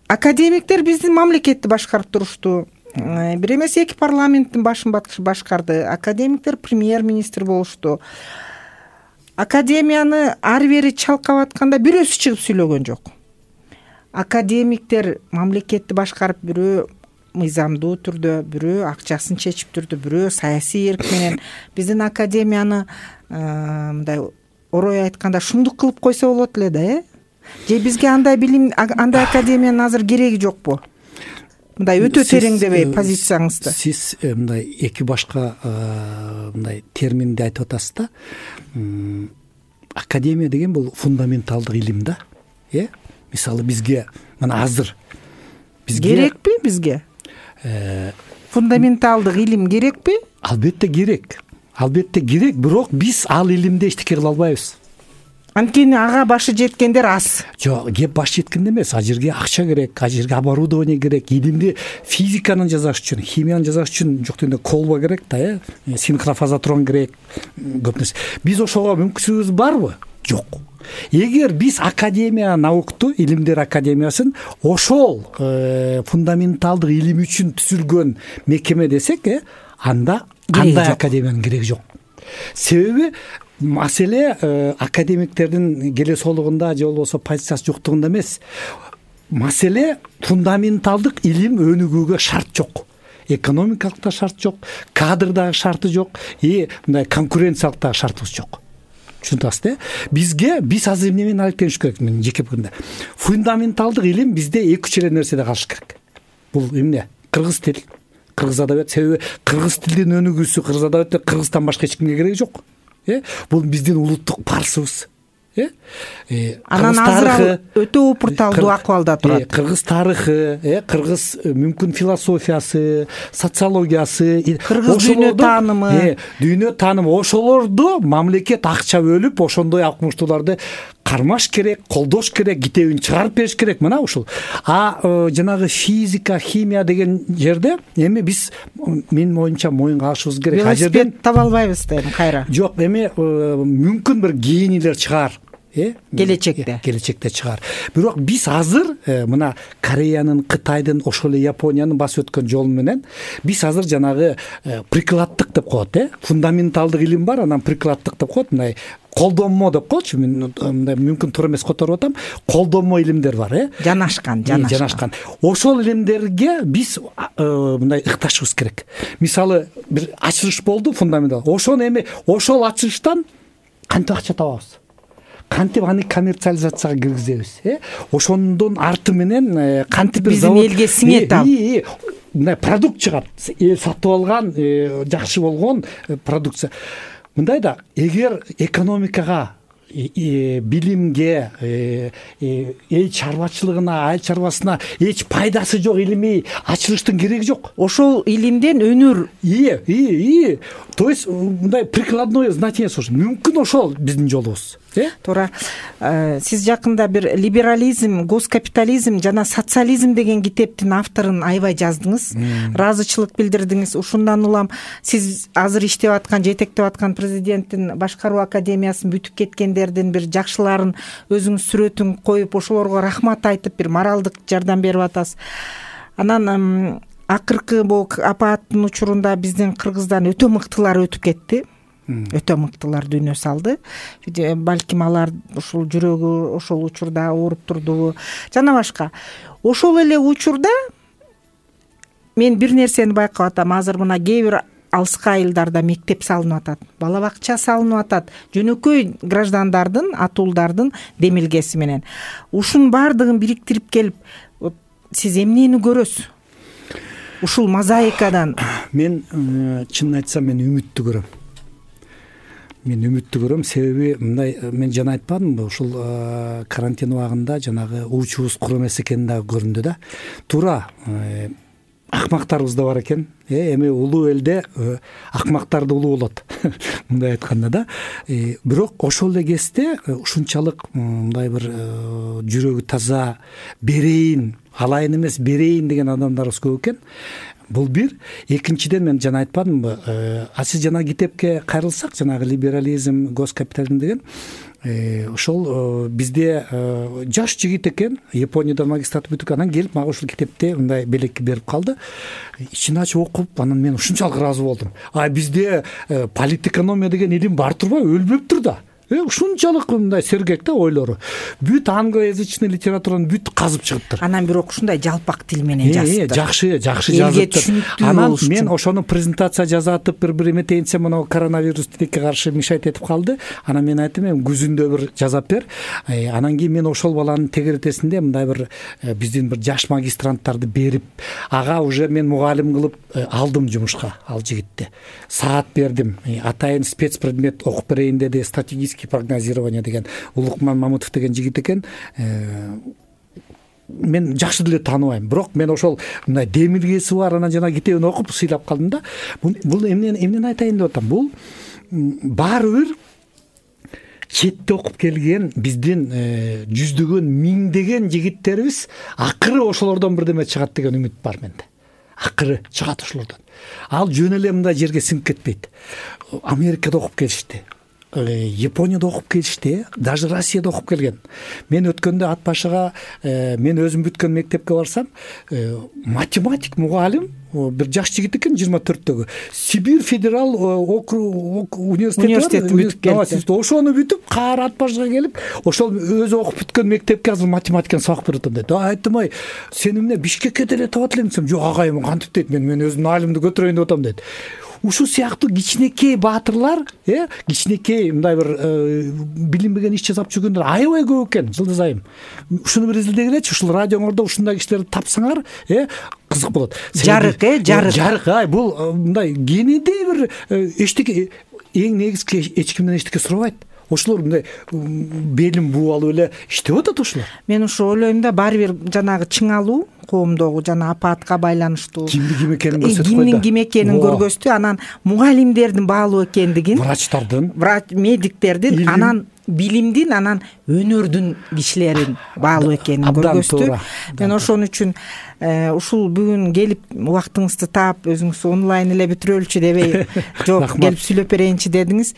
Академиктер биздин мамлекетти башкарып турушту. Бир эмес эки парламенттин башын башкарды. Академиктер премьер-министр болушту. Академияны ары бери чалкап атканда бирөөсү чыгып сүйлөгөн жок. Академиктер мамлекетти башкарып, бирөө мыйзамдуу түрдө, бирөө акчасын чечип турду, бирөө саясий эрк менен биздин академияны мындай орой айтканда шумдук кылып койсо болот эле да, э? Же бизге андай билим, андай академиянын азыр кереги жокпу? Мындай өтө тереңдебей позицияңызды. Сиз мындай эки башка мындай терминди айтып атасыз да. Академия деген бул фундаменталдык илим да, э? Мисалы бизге мына азыр бизге керекпи бизге? Фундаменталдык илим керекпи? Албетте керек. Албетте керек, бирок биз ал илимде эчтеке кыла албайбыз. Анткени ага башы жеткендер аз. Жок, кеп баш жеткенде эмес. А жерге акча керек, а жерге оборудование керек. Илимди физиканын жасаш үчүн, химиянын жасаш үчүн жок дегенде колба керек да, э? Синхрофазотрон керек, көп нерсе. Биз ошого мүмкүнчүлүгүбүз барбы? Жок. Эгер биз академия наукту, илимдер академиясын ошол фундаменталдык илим үчүн түзүлгөн мекеме десек, э, анда кандай академиянын кереги жок. Себеби маселе академиктердин келесоолугунда же болбосо позициясы жоктугунда эмес. Маселе фундаменталдык илим өнүгүүгө шарт жок. Экономикалык да шарт жок, кадрдагы шарты жок, и мындай конкуренциялык да шартыбыз жок. Түшүнөсүз, э? Бизге биз азыр эмне менен алектениш керек мен жеке пикиримде. Фундаменталдык илим бизде эки үч эле нерседе калыш керек. Бул эмне? Кыргыз тил, кыргыз адабият. Себеби кыргыз тилдин өнүгүүсү, кыргыз адабиятта кыргыздан башка эч кимге кереги жок. Э? Бул биздин улуттук парсыбыз. Э? Анан азыр өтө упурталдуу акыбалда турат. Кыргыз тарыхы, э, кыргыз мүмкүн философиясы, социологиясы, кыргыз дүйнө таанымы, э, дүйнө таанымы, ошолорду мамлекет акча бөлүп, ошондой окумуштууларды кармаш керек, колдош керек, китебин чыгарып бериш керек. Мына ушул. А жанагы физика, химия деген жерде эми биз менин оюмча моюнга алышыбыз керек. А жерден таба албайбыз да эми кайра. Жок, эми мүмкүн бир генийлер чыгар. Э? Келечекте. Келечекте чыгар. Бирок биз азыр мына Кореянын, Кытайдын, ошол эле Япониянын басып өткөн жолу менен биз азыр жанагы прикладдык деп коет, э? Фундаменталдык илим бар, анан прикладдык деп коет, мындай колдонмо деп коечу. Мен мындай мүмкүн туура эмес которуп атам. Колдонмо илимдер бар, э? Жанашкан, жанашкан. Жанашкан. Ошол илимдерге биз мындай ыкташыбыз керек. Мисалы бир ачылыш болду фундаментал. Ошону эми ошол ачылыштан кантип акча табабыз? Кантип аны коммерциализацияга киргизебиз, э? Ошондон арты менен кантип бир завод биздин элге сиңет ал. Мындай продукт чыгат. Эл сатып алган, жакшы болгон продукция. Мындай да, эгер экономикага билимге, эл чарбачылыгына, айыл чарбасына эч пайдасы жок илимий ачылыштын кереги жок. Ошол илимден өнөр ие ие то есть мындай прикладное значение мүмкүн ошол биздин жолубуз. Туура. Сиз жакында бир либерализм, госкапитализм жана социализм деген китептин авторун аябай жаздыңыз, ыраазычылык билдирдиңиз. Ушундан улам сиз азыр иштеп аткан, жетектеп аткан президенттин башкаруу академиясын бүтүп кеткендердин бир жакшыларын өзүңүз сүрөтүн коюп, ошолорго рахмат айтып, бир моралдык жардам берип атасыз. Анан акыркы бул апааттын учурунда биздин Кыргыздан өтө мыктылар өтүп кетти. Өтө мыктылар дүйнө салды. Балким алар ушул жүрөгү ошол учурда ооруп турдубу жана башка. Ошол эле учурда мен бир нерсени байкап атам. Азыр мына кээ бир алыскы айылдарда мектеп салынып атат, бала бакча салынып атат, жөнөкөй граждандардын, атуулдардын демилгеси менен. Ушунун баардыгын бириктирип келип, сиз эмнени көрөсүз? Ушул мозаикадан. Мен чынын айтсам, мен үмүттү көрөм. Мен үмүттү көрөм, себеби мындай, мен жана айтпадымбы, ушул карантин убагында жанагы уучубуз кур эмес экени дагы көрүндү да. Туура, акмактарыбыз да бар экен. Эми улуу элде акмактар да улуу болот. Мындай айтканда да. Бирок ошол эле кезде ушунчалык мындай бир жүрөгү таза, берейин, алайын эмес, берейин деген адамдарыбыз көп экен. Бул бир. Экинчиден, мен жана айтпадымбы, а сиз жана китепке кайрылсак, жанагы либерализм, госкапитализм деген, ошол бизде жаш жигит экен, Японияда магистратура бүтүп, анан келип мага ушул китепте мындай белек берип калды. Ичин ачып окуп, анан мен ушунчалык ыраазы болдум. А бизде политэкономия деген илим бар турбайбы, өлбөптүр да. Ушунчалык мындай сергек да ойлору. Бүт англоязычный литератураны бүт казып чыгыптыр. Анан бирок ушундай жалпак тил менен жазыптыр. Жакшы, жакшы жазыптыр. Анан мен ошону презентация жазатып, бир-бир эметейинсе, мына коронавирус тилекке каршы мешать этип калды. Анан мен айттым, эми күзүндө бир жазап бер. Анан кийин мен ошол баланын тегеретесинде мындай бир биздин бир жаш магистранттарды берип, ага уже мен мугалим кылып алдым жумушка, ал жигитти. Саат бердим. Атайын спецпредмет окуп берейин деди, стратегический прогнозирование деген Улукман Мамутов деген жигит экен. Мен жакшы деле тааныбайм, бирок мен ошол мындай демилгеси бар, анан жана китебин окуп сыйлап калдым да. Бул эмнени эмнени айтайын деп атам? Бул баары бир четте окуп келген биздин жүздөгөн, миңдеген жигиттерибиз акыры ошолордон бирдеме чыгат деген үмүт бар менде. Акыры чыгат ошолордон. Ал жөн эле мындай жерге сиңип кетпейт. Америкада окуп келишти. Японияда окуп келишти, даже Россияда окуп келген. Мен өткөндө ат башыга, мен өзүм бүткөн мектепке барсам, математик мугалим, бир жаш жигит экен, жыйырма төрттөгү. Сибирь федерал округ университети бүтүп келди. Ошону бүтүп, кайра ат башыга келип, ошол өзү окуп бүткөн мектепке азыр математиканы сабак берип атам дейт. Айттым, ай, сен эмне Бишкекке деле табат элең десем, жок агайым, кантип дейт, мен мен өзүмдүн алимди көтөрөйүн деп атам дейт. Ушул сыяктуу кичинекей баатырлар, э, кичинекей мындай бир билинбеген иш жасап жүргөндөр аябай көп экен, жылдыз айым. Ушуну бир изилдегилечи, ушул радиоңордо ушундай кишилерди тапсаңар, э, кызык болот. Жарык, э, жарык. Жарык, ай, бул мындай кенедей бир эчтеке, эң негизги эч кимден эчтеке сурабайт. Ошолор мындай белин бууп алып эле иштеп атат ошолор. Мен ошо ойлойм да, баары бир жанагы чыңалуу коомдогу жана апаатка байланыштуу кимди ким экенин көрсөтүп койду. Кимдин ким экенин көргөздү, анан мугалимдердин баалуу экендигин, врачтардын, врач медиктердин, анан билимдин, анан өнөрдүн кишилерин баалуу экенин көргөздү. Мен ошон үчүн ушул бүгүн келип убактыңызды таап, өзүңүз онлайн эле бүтүрөлүчү дебей, жок, келип сүйлөп берейинчи дедиңиз.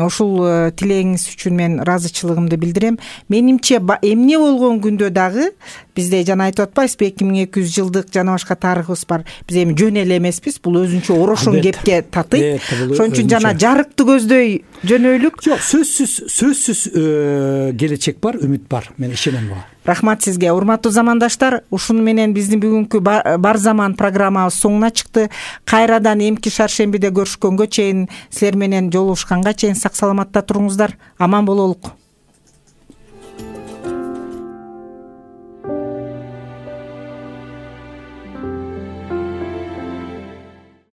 Ушул тилегиңиз үчүн мен ыраазычылыгымды билдирем. Менимче эмне болгон күндө дагы бизде жана айтып атпайсызбы, эки миң эки жүз жылдык жана башка тарыхыбыз бар. Биз эми жөн эле эмеспиз, бул өзүнчө орошон кепке татыйт. Ошон үчүн жана жарыкты көздөй жөнөйлүк. Жок, сөзсүз, сөзсүз келечек бар, үмүт бар. Мен ишенем буга. Рахмат сизге, урматтуу замандаштар. Ушуну менен биздин бүгүнкү бар заман программабыз соңуна чыкты. Кайрадан эмки шаршембиде көрүшкөнгө чейин, силер менен жолугушканга чейин сак саламатта туруңуздар. Аман бололук.